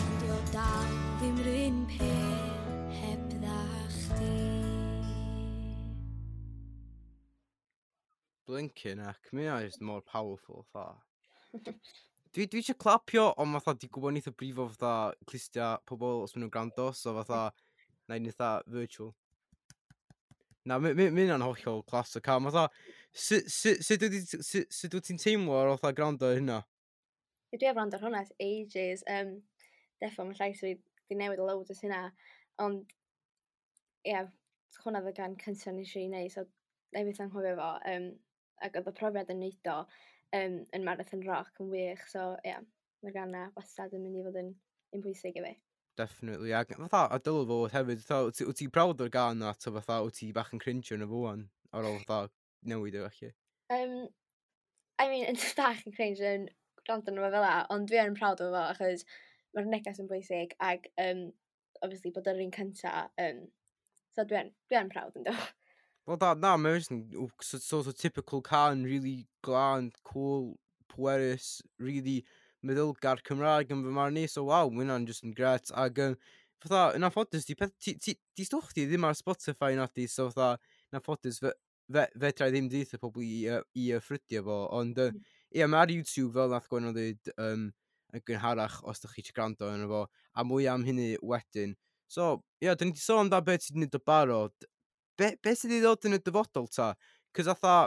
[SPEAKER 3] Ond di o dal ddim run peth heb dda chdi.
[SPEAKER 1] Blinking heck, mae hynna just mor powerful, fatha. Dwi, dwi eisiau clapio, ond fatha, di gwybod neith o brifo fatha clustia pobl os maen nhw'n gwrando, so fatha, na i'n eitha virtual. Na, mae hynna'n hollol class o cam. Fatha, sut sut wyt ti'n teimlo ar ôl fatha gwrando ar hynna?
[SPEAKER 2] Dwi heb wrando ar hwnna ers ages. Um, defo, mae llais fi di newid loads ers hynna. Ond, ie, yeah, hwnna oedd y gan cyntaf nes i wneud, so na i byth anghofio fo. Um, ac oedd y profiad yn neud o um, yn Marathon Rock yn wych, so ie, yeah, mae'r gan na wastad yn mynd i fod yn, yn bwysig i fi.
[SPEAKER 1] Definitely, ac fatha, a dylai fod hefyd, fatha, wyt ti- wyt ti'n proud o'r gan na, ta fatha, wyt ti bach yn cringe yn y fo wan, ar ôl fatha newid o felly?
[SPEAKER 2] Um, I mean, yn bach yn cringe yn gwrando arno fo fel 'a, ond dwi yn proud o fo, achos mae'r neges yn bwysig, ac um, obviously bod yr un cynta, um, so dwi yn, dwi yn proud yn do.
[SPEAKER 1] Wel, da, na, mae'n just yn w- so, sort of typical can, really glân, cool, pwerus, really meddylgar Cymraeg yn fy marn i, so waw, mae hynna'n just yn gret. Ac um, fatha, yn anffodus, di, peth, ti, ti, di stwff ti ddim ar Spotify na di, so fatha, yn anffodus, fe, fe, fedra i ddim deutha pobl i, uh, i uh, ffrydio fo, ond uh, ie, mae ar YouTube fel nath Gwenno dweud um, yn gynharach os ydych chi eisiau gwrando arno fo, a mwy am hynny wedyn. So, ie, yeah, dyn ni wedi sôn amdan beth sydd wedi gwneud o barod. Be, be sydd wedi dod yn y dyfodol ta? Cos atha,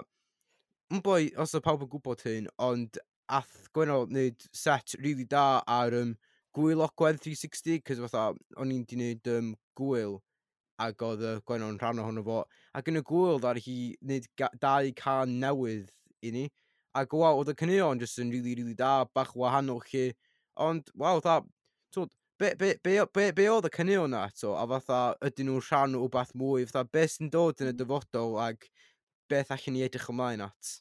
[SPEAKER 1] yn boi, os oedd pawb yn gwybod hyn, ond ath Gwenno wneud set really da ar um, Gwyl Ogwen tri sixty, cos fatha, o'n i'n di wneud um, gwyl, ac oedd uh, Gwenno'n rhan ohono fo. Ac yn y gwyl, ddaru hi wneud dau can newydd i ni. Ac waw, oedd y caneuon jyst yn really, really da, bach wahanol chi. Ond, waw, fatha, twod, be, be, be, be, be oedd y caneuon na eto? A fatha, ydyn nhw'n rhan o wbath mwy? Fatha, be sy'n dod yn y dyfodol ac beth allan ni edrych ymlaen at?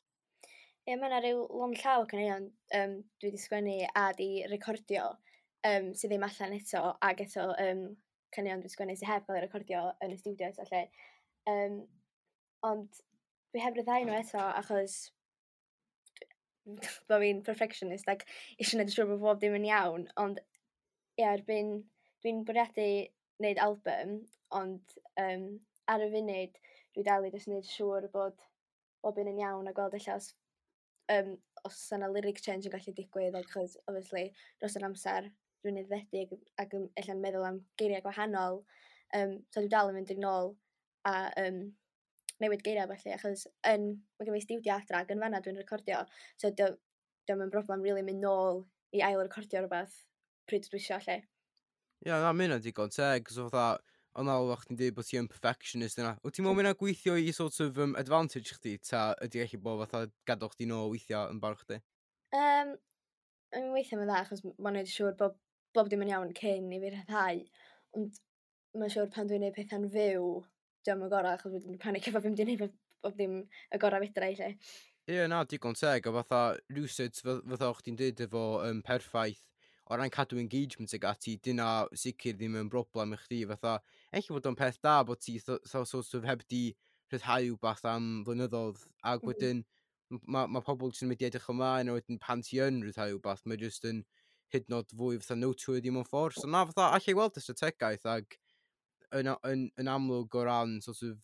[SPEAKER 2] Ie, mae yna rhyw lond llaw o caneuon um, dwi wedi sgwennu a di recordio um, sydd ddim allan eto, ac eto um, caneuon dwi wedi sgwennu sydd heb gael eu recordio yn y stiwdio eto lle. Um, ond dwi heb ryddhau nhw eto achos bo fi'n perfectionist ac eisiau gwneud yn siŵr bod bob dim yn iawn, ond ie, erbyn dwi'n bwriadu wneud album, ond um, ar y funud dwi dal i jyst wneud siŵr bod bob un yn iawn a gweld ella os, um, os yna lyric change yn gallu digwydd, achos obviously dros yr amser dwi'n aeddfedu ac, ac yn ella'n meddwl am geiriau gwahanol, um, so dwi dal yn mynd yn ôl a um, newid geiriau felly, achos yn, mae gen i stiwdio adra ac yn fanna dwi'n recordio, so dio'm yn broblem really mynd nôl i ail recordio rhywbeth pryd dwi isio lle.
[SPEAKER 1] Ie, yeah, na, mae hynna'n digon teg, cos fatha, ond al chdi'n dweud bod ti yn perfectionist yna. Wyt ti'n meddwl mae hynna'n gweithio i sort of um, advantage chdi, ta ydy gallu bod fatha gadael chdi nôl weithio yn barch chdi?
[SPEAKER 2] Um, I mean, weithiau mae'n dda, achos mae'n neud siŵr bod bob dim yn iawn cyn i fi rhyddhau. Ond mae'n siŵr pan dwi'n neud pethau'n fyw, diolch yn gorau, achos dwi'n panic efo fi'n mynd i neud bob dim y gorau fedra i lle.
[SPEAKER 1] Ie, yeah, na, digon teg, a fatha, rhywsut, fatha o'ch ti'n dweud efo um, perffaith, o ran cadw engagement ag ati, dyna sicr ddim yn broblem i chdi, fatha, ella bod o'n peth da bod ti so, so, sort of heb di rhyddhau wbath am flynyddoedd, ac mm. wedyn mae ma pobl sy'n mynd i edrych ymlaen, a wedyn pan ti yn rhyddhau wbath, mae jyst yn hyd yn oed fwy fatha noteworthy mewn ffordd. So na, fatha, allai weld y strategaeth ag yn, yn, yn amlwg o ran sort of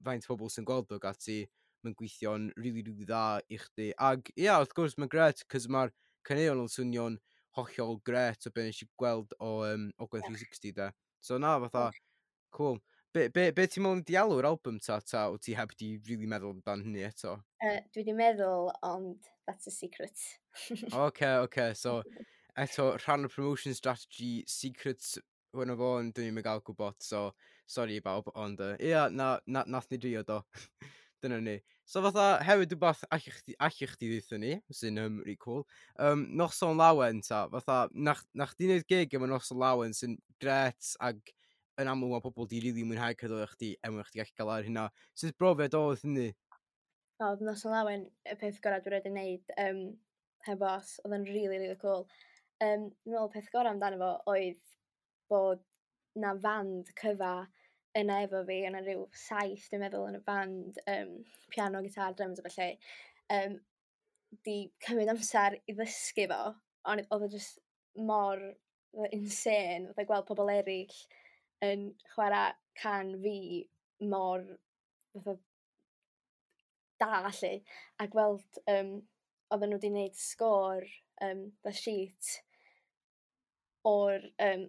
[SPEAKER 1] faint o bobl sy'n gweld o ati, mae'n gweithio'n really, really dda i chdi. Ag, ia, wrth gwrs, mae'n gret, cos mae'r caneuon yn swnio'n hollol gret o be nes i gweld o um, Ogwen tri sixty, da. So na, fatha, cool. Be, be, be ti'n meddwl di alw'r album ta, ta, o ti heb di really meddwl amdan hynny eto?
[SPEAKER 2] Uh, dwi di meddwl, ond that's a secret.
[SPEAKER 1] Oce, oce, so eto, rhan o'r promotion strategy, secrets hwn o fo, ond dwi'n mynd gael gwybod, so sorry i bawb, ond uh, ia, na, na, nath ni drio do. Dyna ni. So fatha, hefyd rhywbeth allech chdi, allech chdi ddeutho ni, sy'n um, really cool. Um, Noson Lawen ta, fatha, nach, nach di wneud gig efo Noson Lawen sy'n gret ag yn amlwg mae pobl di rili mwynhau cerddoriaeth chdi er mwyn chdi gallu gael ar hynna. Sut brofiad oedd hynny?
[SPEAKER 2] O, oedd Noson Lawen y peth gorau dwi wedi wneud um, heb os, oedd yn really, really cool. Um, dwi'n meddwl peth gorau amdano fo oedd bod na fand cyfa yna efo fi, yna rhyw saith, dwi'n meddwl, yn y band, um, piano, gitar, drums a felly, um, di cymryd amser i ddysgu fo, ond oedd o just mor insane, fatha gweld pobl eraill yn chwarae can fi mor fatha da, lly, a gweld um, oedden nhw wedi gwneud sgôr, um, the sheet o'r um,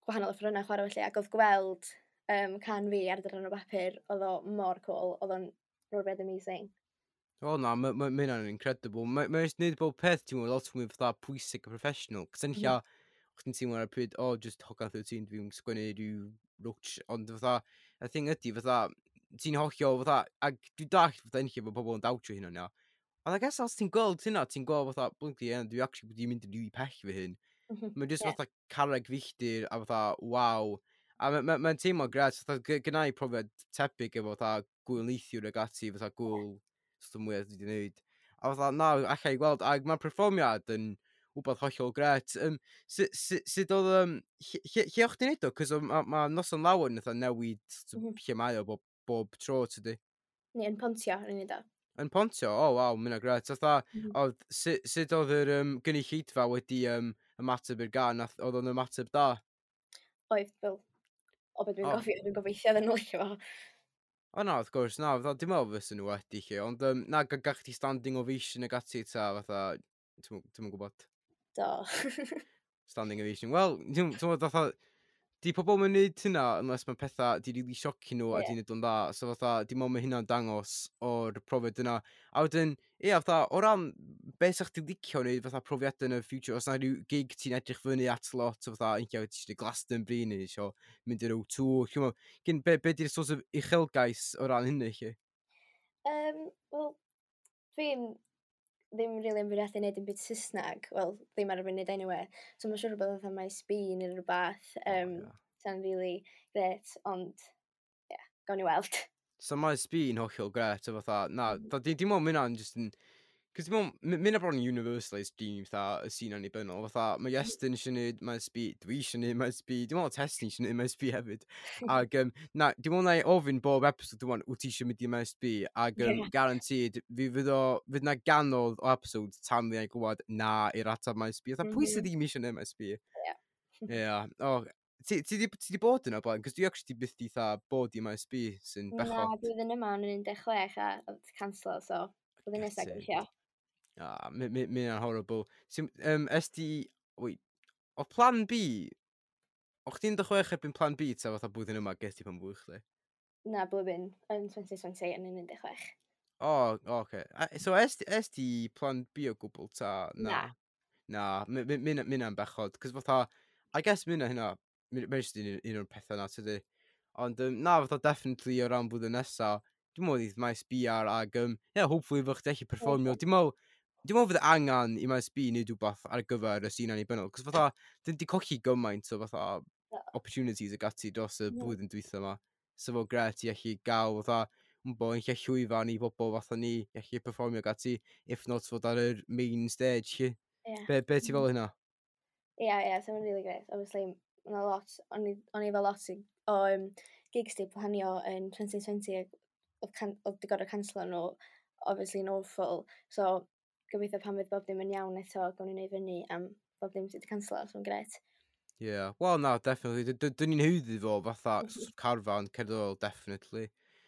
[SPEAKER 2] gwahanol offerynnau chwarae felly, ac oedd gweld um, can fi ar ddarn o bapur, oedd o mor cool, oedd o'n rhywbeth amazing.
[SPEAKER 1] O na, mae ma, ma hynna'n incredible. Mae'n ma jyst neud bob peth ti'n meddwl lot mwy fatha pwysig a professional. Cos yn lla, mm. chdi'n teimlo ar y pryd, o, oh, just hogan thirteen, dwi'n sgwennu rhyw rwtsh, ond fatha, y thing ydy, fatha, ti'n hollol, fatha, ac dwi'n dallt fatha enlla bod pobl yn dawtio hynna, ia. Ond I guess os ti'n gweld hynna, ti'n gweld fatha, blinky, yeah, dwi actually wedi mynd yn really pell fy hyn. Mae'n just yeah. fatha carreg filltir a fatha, waw. A mae'n ma, ma teimlo gret, fatha, gynna i profiad tebyg efo fatha gwyl neithiwr ag ati, fatha gwyl sort of mwyaf dwi wedi gwneud. A fatha, na, allai gweld, ac mae'r perfformiad yn wbeth hollol gret. Um, sut si, sut oedd, um, lle, lle o'ch ti'n neud o? Cos mae ma Noson Lawen fatha newid mm -hmm. lle mae o bob, bob tro, tydi?
[SPEAKER 2] Ni, yn Pontio, yn neud o.
[SPEAKER 1] Yn Pontio? O, oh, waw, mynd gret. Fatha, mm -hmm. oedd, sut, sut oedd yr um, gynulleidfa wedi um, ymateb i'r gan? Oedd o'n ymateb da?
[SPEAKER 2] Oedd, fel, o beth dwi'n oh. gofio, dwi'n gobeithio iddyn nhw licio fo.
[SPEAKER 1] O na, wrth gwrs, na, fatha, dim meddwl fysa nhw wedi lle, ond um, na, gach ti standing ovation ag ati ta, fatha, ti'n yn gwybod?
[SPEAKER 2] Do.
[SPEAKER 1] Standing ovation. Wel, ti'n gwybod, fatha, di pobl yn neud hynna unless mae pethau di really siocio nhw yeah. a di neud o'n dda. So fatha, di meddwl mae hynna'n dangos o'r profiad yna. A wedyn, ie, fatha, o ran beth sa'ch ti licio wneud fatha profiadau yn y future, os na rhyw gig ti'n edrych fyny at lot, o fatha, unlla, ti eisiau Glastonbury neu eisiau mynd i'r O two. Gyn, be, be di'r sort of uchelgais o ran hynny, chi?
[SPEAKER 2] Um, Wel, dwi'n ddim rili yn bwriadu wneud dim byd Saesneg. Wel, ddim ar y funud anyway. So mae'n siŵr bod fatha Maes B neu rhywbeth. Um, oh, yeah. Sa'n really great, ond, ie, yeah, gawn ni weld.
[SPEAKER 1] So Maes B yn hollol gret, o fatha, na, mm. dim ond mynd just yn... Cos dim ond, mynd bron yn universalised dream, fatha, y sîn annibynnol, fatha, mae Iestyn eisiau neud Maes B, dwi eisiau neud Maes B, dim ond Tesni eisiau neud Maes B hefyd. Ag, um, na, dim ond na i ofyn bob episode, dim ond, wyt ti eisiau mynd i Maes B, ag, um, yeah. guaranteed, fi fydd o, fydd na ganodd o episodes tan fi na'i glywed na i'r atab Maes B. Fatha, mm -hmm. pwy sydd ddim eisiau neud Maes B?
[SPEAKER 2] Ie.
[SPEAKER 1] Yeah. Oh, ti, ti, di, ti di bod yna blaen? Cos dwi actually byth di tha bod i Maes B, sy'n bechod.
[SPEAKER 2] Na, blwyddyn yma o'n un deg chwech a oedd cancelo, so blwyddyn nesaf gobeithio.
[SPEAKER 1] Ah, mi hynna'n horrible. Sim, um, es di... Wait, o plan B... O chdi'n deg chwech erbyn plan B ta fatha blwyddyn yma ges ti pan fwy chdi?
[SPEAKER 2] Na, blwyddyn yn twenty twenty yn un deg chwech.
[SPEAKER 1] O, oh, oce. Okay. So es, es di plan B o gwbl ta?
[SPEAKER 2] Na.
[SPEAKER 1] Na, mi hynna'n bechod. Cos fatha, I guess mi hynna, mae'n just un, un o'r pethau na, tydi. Ond um, na, fatha definitely o ran blwyddyn nesa, dwi'n meddwl i Maes B ar ag, um, yeah, hopefully fy chdi allu perfformio. Dwi'n meddwl, Dwi'n meddwl fydd angen i Maes B wneud rhywbeth ar gyfer y sîn annibynnol, cos fatha, dyn di colli gymaint o fatha opportunities ag ati dros y blwyddyn dwytha yma. So fo gret i allu gael fatha, bo, yn lle llwyfan i bobl fatha ni, i allu performio ag ati, if not fod ar yr main stage, lle. Yeah. Be, be ti fel hynna?
[SPEAKER 2] Ie, yeah, ie, yeah, so mae'n really great. Obviously, mae'n lot, o'n i fel lot o um, gigs di planio yn twenty twenty ac oedd di gorfod canslo nhw, obviously yn awful. So, gobeithio pan fydd bob dim yn iawn eto, gawn ni wneud fyny am bob dim sydd wedi canslo, so mae'n gret.
[SPEAKER 1] Yeah, well na, definitely. Dyn ni'n haeddu fo fatha mm. carfan cerddorol, definitely.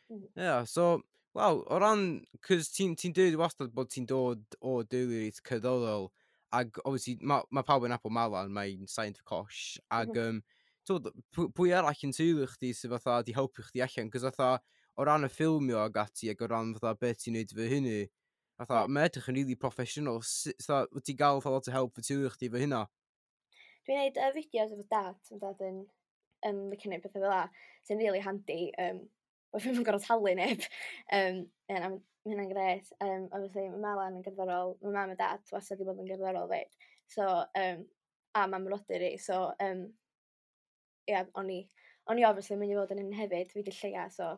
[SPEAKER 1] Mm. Yeah, so, well, o ran, cos ti'n ti dweud wastad bod ti'n dod o deulu reit cerddorol, ag obviously, mae ma pawb yn nabod Malan, mae'n signed for Cosh, ag mm -hmm. um, twod, pwy arall yn teulu chdi sydd fatha di helpu chdi allan, cos fatha, o ran y ffilmio ag ati, ag o ran fatha beth ti'n neud fy hynny, fatha, mae edrych yn really professional, fatha, wyt ti'n gael fatha lot o help fy teulu chdi fy hynna?
[SPEAKER 2] Dwi'n neud uh, fideos efo dad, mae dad yn um, licio neud pethau fel la, sy'n really handy, um, bod fi'n gorfod talu neb. Um, yeah, mae hynna'n gret. Um, obviously, mae Malan yn gerddorol, mae mam a dad wastad wedi bod yn gerddorol fyd. So, um, a mam mrodyr i, so, um, yeah, o'n i, o'n i obviously mynd i fod yn un hefyd, fi di lleia, so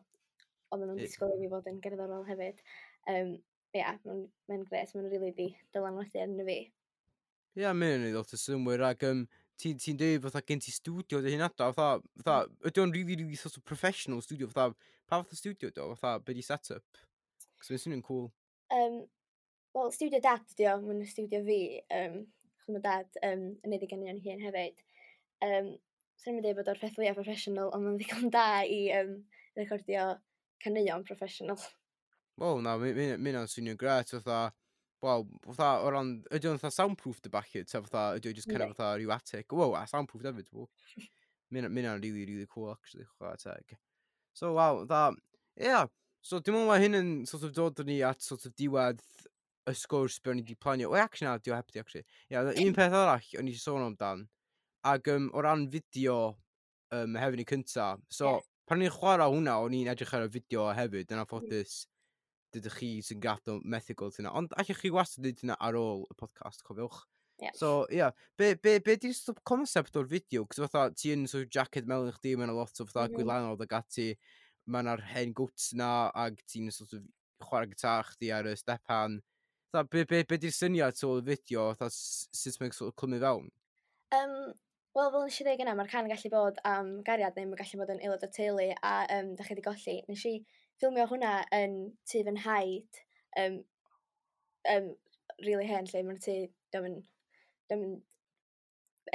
[SPEAKER 2] oedden nhw'n disgwyl i fi fod yn gerddorol hefyd. Um, yeah, mae'n mae gret, mae'n really di dylanwadu arno fi.
[SPEAKER 1] Ie, yeah, mae'n neud lot o synnwyr, ac um, ti'n ti dweud fatha gen ti studio dy hun adra, fatha, fatha, ydy o'n really, really sort of professional studio, fatha, pa fath o studio do, fatha, be di set-up? Cos mae'n swnio'n cool.
[SPEAKER 2] Um, Wel, studio dad ydi o, mae'n studio fi, um, chos mae dad um, yn neud ei ganeuon hun hefyd. Um, Swn i'n dweud bod o'r peth fwyaf professional, ond mae'n ddigon da i um, recordio caneuon professional.
[SPEAKER 1] Wel, na, mae'n ma, ma swnio'n gret, fatha, wel, fatha, o ran, ydy o'n fatha soundproof dy bach, ta fatha, ydy o'n just kind of fatha rhyw attic. Wow, a soundproof hefyd, wow. Mae'n really, really cool, actually, chwarae teg. So, wow, fatha, yeah. So, dwi'n meddwl mae hyn yn sort of dod ni at sort of diwedd y sgwrs be o'n i wedi planio. O, actually, na, diw heb di, actually. Yeah, un peth arall o'n i wedi sôn amdan, ac um, o ran fideo um, hefyd ni cynta, so, yeah. Pan o'n i'n chwarae hwnna, o'n i'n edrych ar y fideo hefyd, yn anffodus, dydych chi sy'n gadw methu gweld hynna. Ond allwch chi wastad dweud hynna ar ôl y podcast, cofiwch.
[SPEAKER 2] Yeah.
[SPEAKER 1] So, ie, yeah. be, be, be di'r sort of concept o'r fideo? Cos fatha, ti yn sort of jacket melyn chdi, mae'n lot o fatha mm -hmm. gwylanod ag ati, mae'n ar hen gwts na, ag ti'n sort of chwarae gitar chdi ar y stepan. Fatha, be, be, be di'r syniad o'r fideo, fatha, sut mae'n sort of clymu fewn?
[SPEAKER 2] Um, Wel, fel nes i ddweud gyna, mae'r can gallu bod am gariad neu mae'n gallu bod yn aelod o'r teulu a um, da chi wedi golli. Nes i ffilmio hwnna yn tŷ fy nhaid, um, um, really hen lle, mae'n tŷ, diom yn, diom yn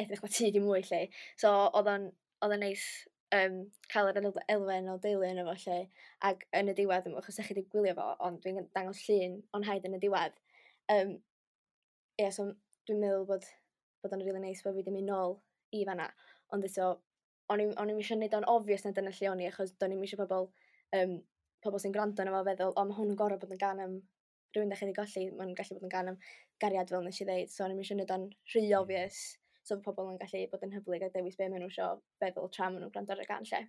[SPEAKER 2] edrych mae tŷ di mwy lle. So, oedd o'n oedd o'n neis um, cael yr elfen o deulu yno fo lle, ac yn y diwedd, achos ydych chi wedi gwylio fo, ond dwi'n dangos llun o'n nhaid yn y diwedd. Um, yeah, so dwi'n meddwl bod, bod o'n really neis bod fi wedi mynd nôl i fanna, ond eto, o'n i'm eisiau gwneud o'n obvious na dyna lle o'n i, achos do'n i'm eisiau pobl, um, pobl sy'n gwrando arno fo feddwl, o, mae hwn yn gorfod bod yn gan am rhywun da chi wedi golli, mae'n gallu bod yn gan am gariad fel nes i ddeud, so o'n i'm eisiau gwneud o'n rhy obvious, so pobl yn gallu bod yn hyblyg a dewis be maen nhw eisiau feddwl tra maen nhw'n gwrando ar y gan lle.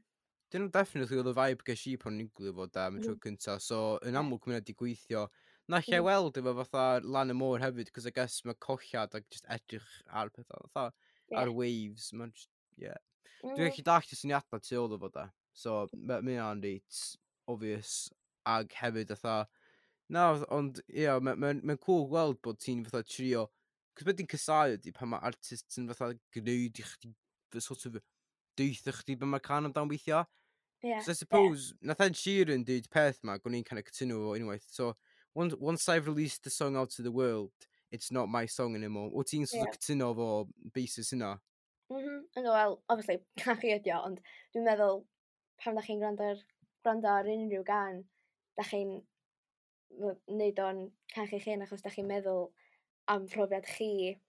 [SPEAKER 1] Dyna definitely oedd y vibe ges i pan o'n i'n gwylio fo da am y tro cynta, so yn amlwg mae'n wedi gweithio. Na lle mm. weld efo fatha lan y môr hefyd, cos I guess mae colliad ac just edrych ar pethau, fatha yeah. ar waves, mae'n just, yeah. Mm. Dwi'n gallu dallt y syniadau tu ôl o fo da, so mae hynna'n reit obvious, ag hefyd fatha, na, ond ie, yeah, mae'n ma, ma cool gweld bod ti'n fatha trio, cos beth dwi'n casau ydy pan mae artists yn fatha gwneud i chdi, sort of, deutha chdi be mae'r can amdan weithio.
[SPEAKER 2] Yeah.
[SPEAKER 1] So I suppose, yeah. Nath Ed Sheeran dweud peth ma, gwni i'n kind of cytuno fo unwaith. So, once, once I've released the song out to the world, it's not my song anymore. O ti'n sort of yeah. cytuno fo basis hynna?
[SPEAKER 2] Mm -hmm. Well, obviously, can chi ydi o, ond dwi'n meddwl pan da chi'n gwrando ar, gwrando ar unrhyw gan, da chi'n neud o'n can chi'ch hun achos da chi'n meddwl am profiad chi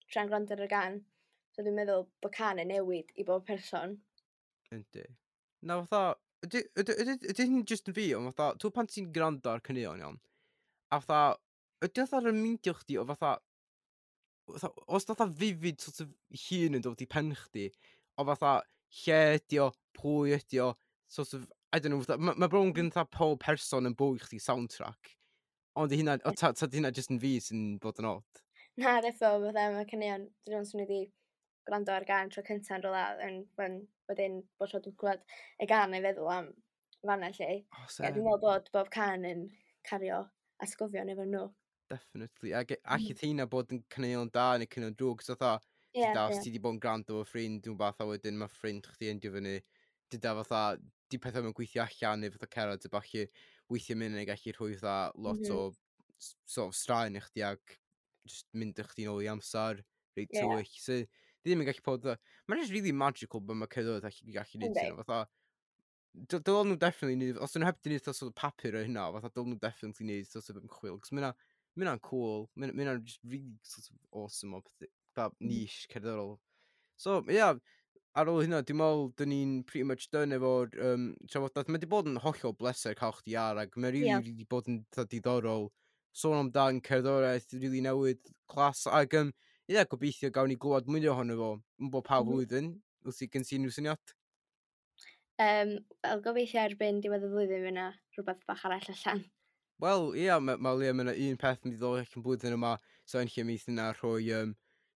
[SPEAKER 2] tra'n gwrando ar y gan. So dwi'n meddwl bod can yn newid i bob person.
[SPEAKER 1] Yndi. Na fatha, ydy, ydy, ydy, ydy hyn just yn fi, ond fatha, ti'n pan ti'n gwrando ar caneuon iawn, a fatha, ydy fatha remeindio chdi o fatha, fatha, os fatha vivid sort of hun yn dod i pen chdi, o fatha, lle ydy o, pwy ydy o, sort of, I don't know, fatha, mae ma bron gen fatha pob person yn bywyd chdi soundtrack, Ond di hynna, o, ta, ta di hynna jyst yn fi sy'n bod yn odd?
[SPEAKER 2] Na, deffo, fatha, mae caneuon, dyn nhw'n swnio di gwrando ar gân tro cynta'n rhywle, yn, yn, wedyn, bod tro dwi'n clywed y gân neu feddwl am fanna lle.
[SPEAKER 1] Oh,
[SPEAKER 2] Ie, dwi'n meddwl bod bob cân yn cario atgofion efo nhw.
[SPEAKER 1] Definitely. Ac allith hynna bod yn caneuon da neu caneuon drwg, so fatha,
[SPEAKER 2] Ie,
[SPEAKER 1] dyda, os
[SPEAKER 2] ie.
[SPEAKER 1] ti di bod yn gwrando efo ffrind, dwi'n bath, a wedyn mae ffrind chdi endio fyny, dyda fatha, di pethau mewn gweithio allan neu fatha cerdded a ballu, weithio mynd yn gallu rhoi fatha lot
[SPEAKER 2] Mhm.
[SPEAKER 1] o s- sort of straen i chdi ac just mynd â chdi nôl i amser reit
[SPEAKER 2] Ie.
[SPEAKER 1] tywyll. So, di ddim yn gallu bod, mae'n just really magical bod mae cerddoriaeth allu gallu neud
[SPEAKER 2] Yndi.
[SPEAKER 1] hynna, fatha, dy- dylen nhw definitely neud, os nhw heb di neud fatha sort of papur o hynna, fatha dylen nhw definitely neud sort of ymchwil, cos mae hynna'n cool, mae hynna'n just really sort of awesome o peth, fatha
[SPEAKER 2] Mhm.
[SPEAKER 1] niche cerddorol. So, ie, yeah, ar ôl hynna, dwi'n meddwl, dyn ni'n pretty much done efo'r um, trafodaeth. Mae wedi bod yn hollol bleser cael chdi ar, ac mae really,
[SPEAKER 2] Diolch.
[SPEAKER 1] really bod yn fatha diddorol sôn amdan cerddoriaeth really newydd, class, ac um, ie, yeah, gobeithio gawn ni glywed mwy ohono fo yn bob pa
[SPEAKER 2] Mhm.
[SPEAKER 1] flwyddyn, wrth i gen ti unrhyw syniad?
[SPEAKER 2] Um, Wel, gobeithio erbyn diwedd y flwyddyn fydd yna rhywbeth bach arall allan.
[SPEAKER 1] Wel, ie, yeah, mae ma Leah, mae yna un peth yn mynd i ddod allan blwyddyn yma, so yn lle mi yna rhoi um,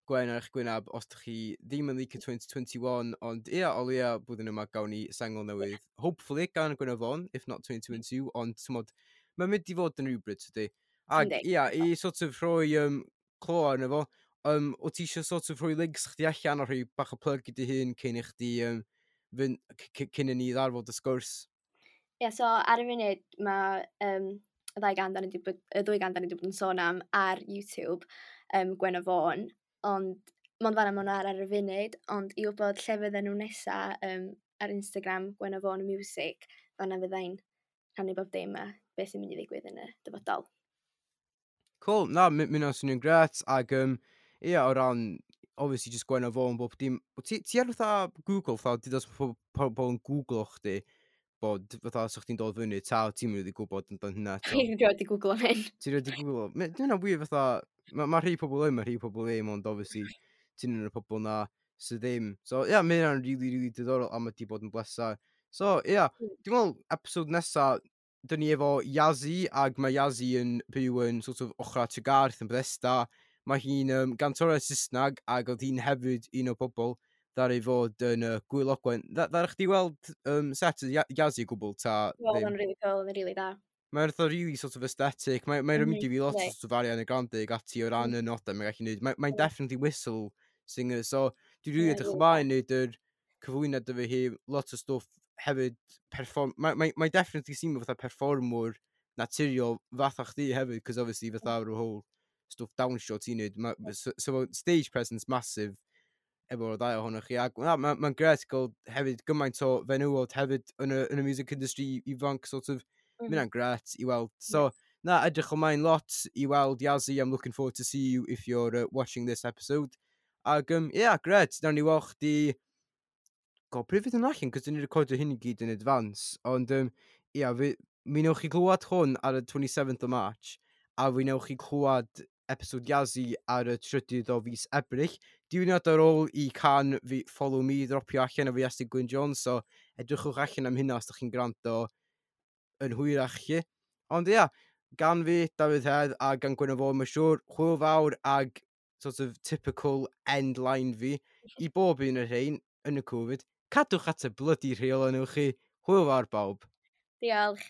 [SPEAKER 1] gwen ar eich gwynab os ydych chi ddim yn licio twenty twenty-one, ond ie, yeah, o leia blwyddyn yma gawn ni sengl newydd. Hopefully, gan Gwenno Fôn, if not twenty twenty-two, ond t'mod, mae'n mynd i fod yn rhywbryd, tydi. Ac
[SPEAKER 2] Yndi.
[SPEAKER 1] ie, yeah, i sort of rhoi um, clo arno fo, um, o ti eisiau sort of rhoi links chdi allan a rhoi bach o plug i dy hun cyn i chdi um, fynd, c- c- cyn i ni ddarfod y sgwrs?
[SPEAKER 2] Ie, yeah, so ar y funud mae um, y ddau gân da ni 'di bod, y ddwy gân da ni 'di bod yn sôn am ar YouTube, um, Gwenno Fôn, ond mond fan'na ma' nhw ar ar y funud, ond i wybod lle fydden nhw nesa um, ar Instagram Gwenno Fôn Music, fan'na fyddai'n rhannu bob dim a beth sy'n mynd i ddigwydd yn y dyfodol.
[SPEAKER 1] Cool, na, mi mi hwnna'n swnio'n gret, ac um, ie, o ran, obviously, just Gwenno Fôn, bob dim. Ti, ti ar fatha Google, fatha, di dos pobl yn Googlo chdi, bod, fatha, os chdi'n dod fyny, ta, ti'n mynd i gwybod amdan hynna eto?
[SPEAKER 2] Dwi'n rioed 'di Googlo hyn.
[SPEAKER 1] Ti'n rioed 'di Googlo? Ma' hynna'n wir fatha, mae ma rhai pobl yn, mae rhai pobl ddim, ond obviously, ti'n un o'r pobl na sydd ddim. So, ie, yeah, mae hynna'n really, really diddorol, a mae di bod yn bleser. So, ie, yeah,
[SPEAKER 2] Mm.
[SPEAKER 1] dwi'n meddwl, episode nesa, dyn ni efo Yazzie, ac mae Yazzie yn byw yn sort of ochra Tregarth yn Bethesda. Mae hi'n um, gantores Saesneg, ac oedd hi'n hefyd un o bobl ddaru fod yn uh, Gwyl Ogwen. Ddaru chdi weld um, set y Yazzie o gwbl, ta
[SPEAKER 2] Wel,
[SPEAKER 1] ddim?
[SPEAKER 2] oedd o'n really cool, oedd o'n really da.
[SPEAKER 1] Mae'n fatha really sort of aesthetic. Mae'n mae
[SPEAKER 2] Mhm,
[SPEAKER 1] mm -hmm. fi lot o
[SPEAKER 2] yndi.
[SPEAKER 1] sort of Ariana Grande ag ati o ran y nodau mae'n gallu neud. Mae'n mae
[SPEAKER 2] Mm.
[SPEAKER 1] definitely whistle singer, so dwi'n really
[SPEAKER 2] Ie,
[SPEAKER 1] edrych
[SPEAKER 2] really
[SPEAKER 1] ymlaen neud yr cyflwyniad efo hi, lot o stwff hefyd perform... Mae mae, mae definitely seem fatha performwr naturiol fatha chdi hefyd, cos obviously fatha o'r whole stwff dawnsio ti'n neud. Ma, so, so stage presence massive efo'r ddau ohonoch chi. Ac na, mae'n ma gret gael hefyd gymaint o fenywod hefyd yn y, yn y music industry ifanc, sort of. Mm.
[SPEAKER 2] Mhm.
[SPEAKER 1] Mae hynna'n gret i weld. So, na, edrych ymlaen lot i weld Yazzie. I'm looking forward to see you if you're uh, watching this episode. Ac, um, yeah, gret. Nawn ni weld chdi. God, pryd fydd yn allan? Cos dyn ni'n recordio hyn i gyd yn advance. Ond, um, ia, fi, mi newch chi glywed hwn ar y twenty-seventh of March, a fi newch chi clywed episode Yazzie ar y trydydd o fis Ebrill. Diwrnod ar ôl i cân fi Follow Me dropio allan o fi Iestyn Gwyn Jones, so edrychwch allan am hynna os ydych chi'n gwrando yn hwyrach chi. Ond ia, gan fi, Dafydd Hedd, a gan Gwenno Fôn, mae'n siŵr, hwyl fawr ag sort of typical end line fi i bob un o'r rhain yn y Covid. Cadwch at y bloody rheolau newch chi. Hwyl fawr bawb.
[SPEAKER 2] Diolch.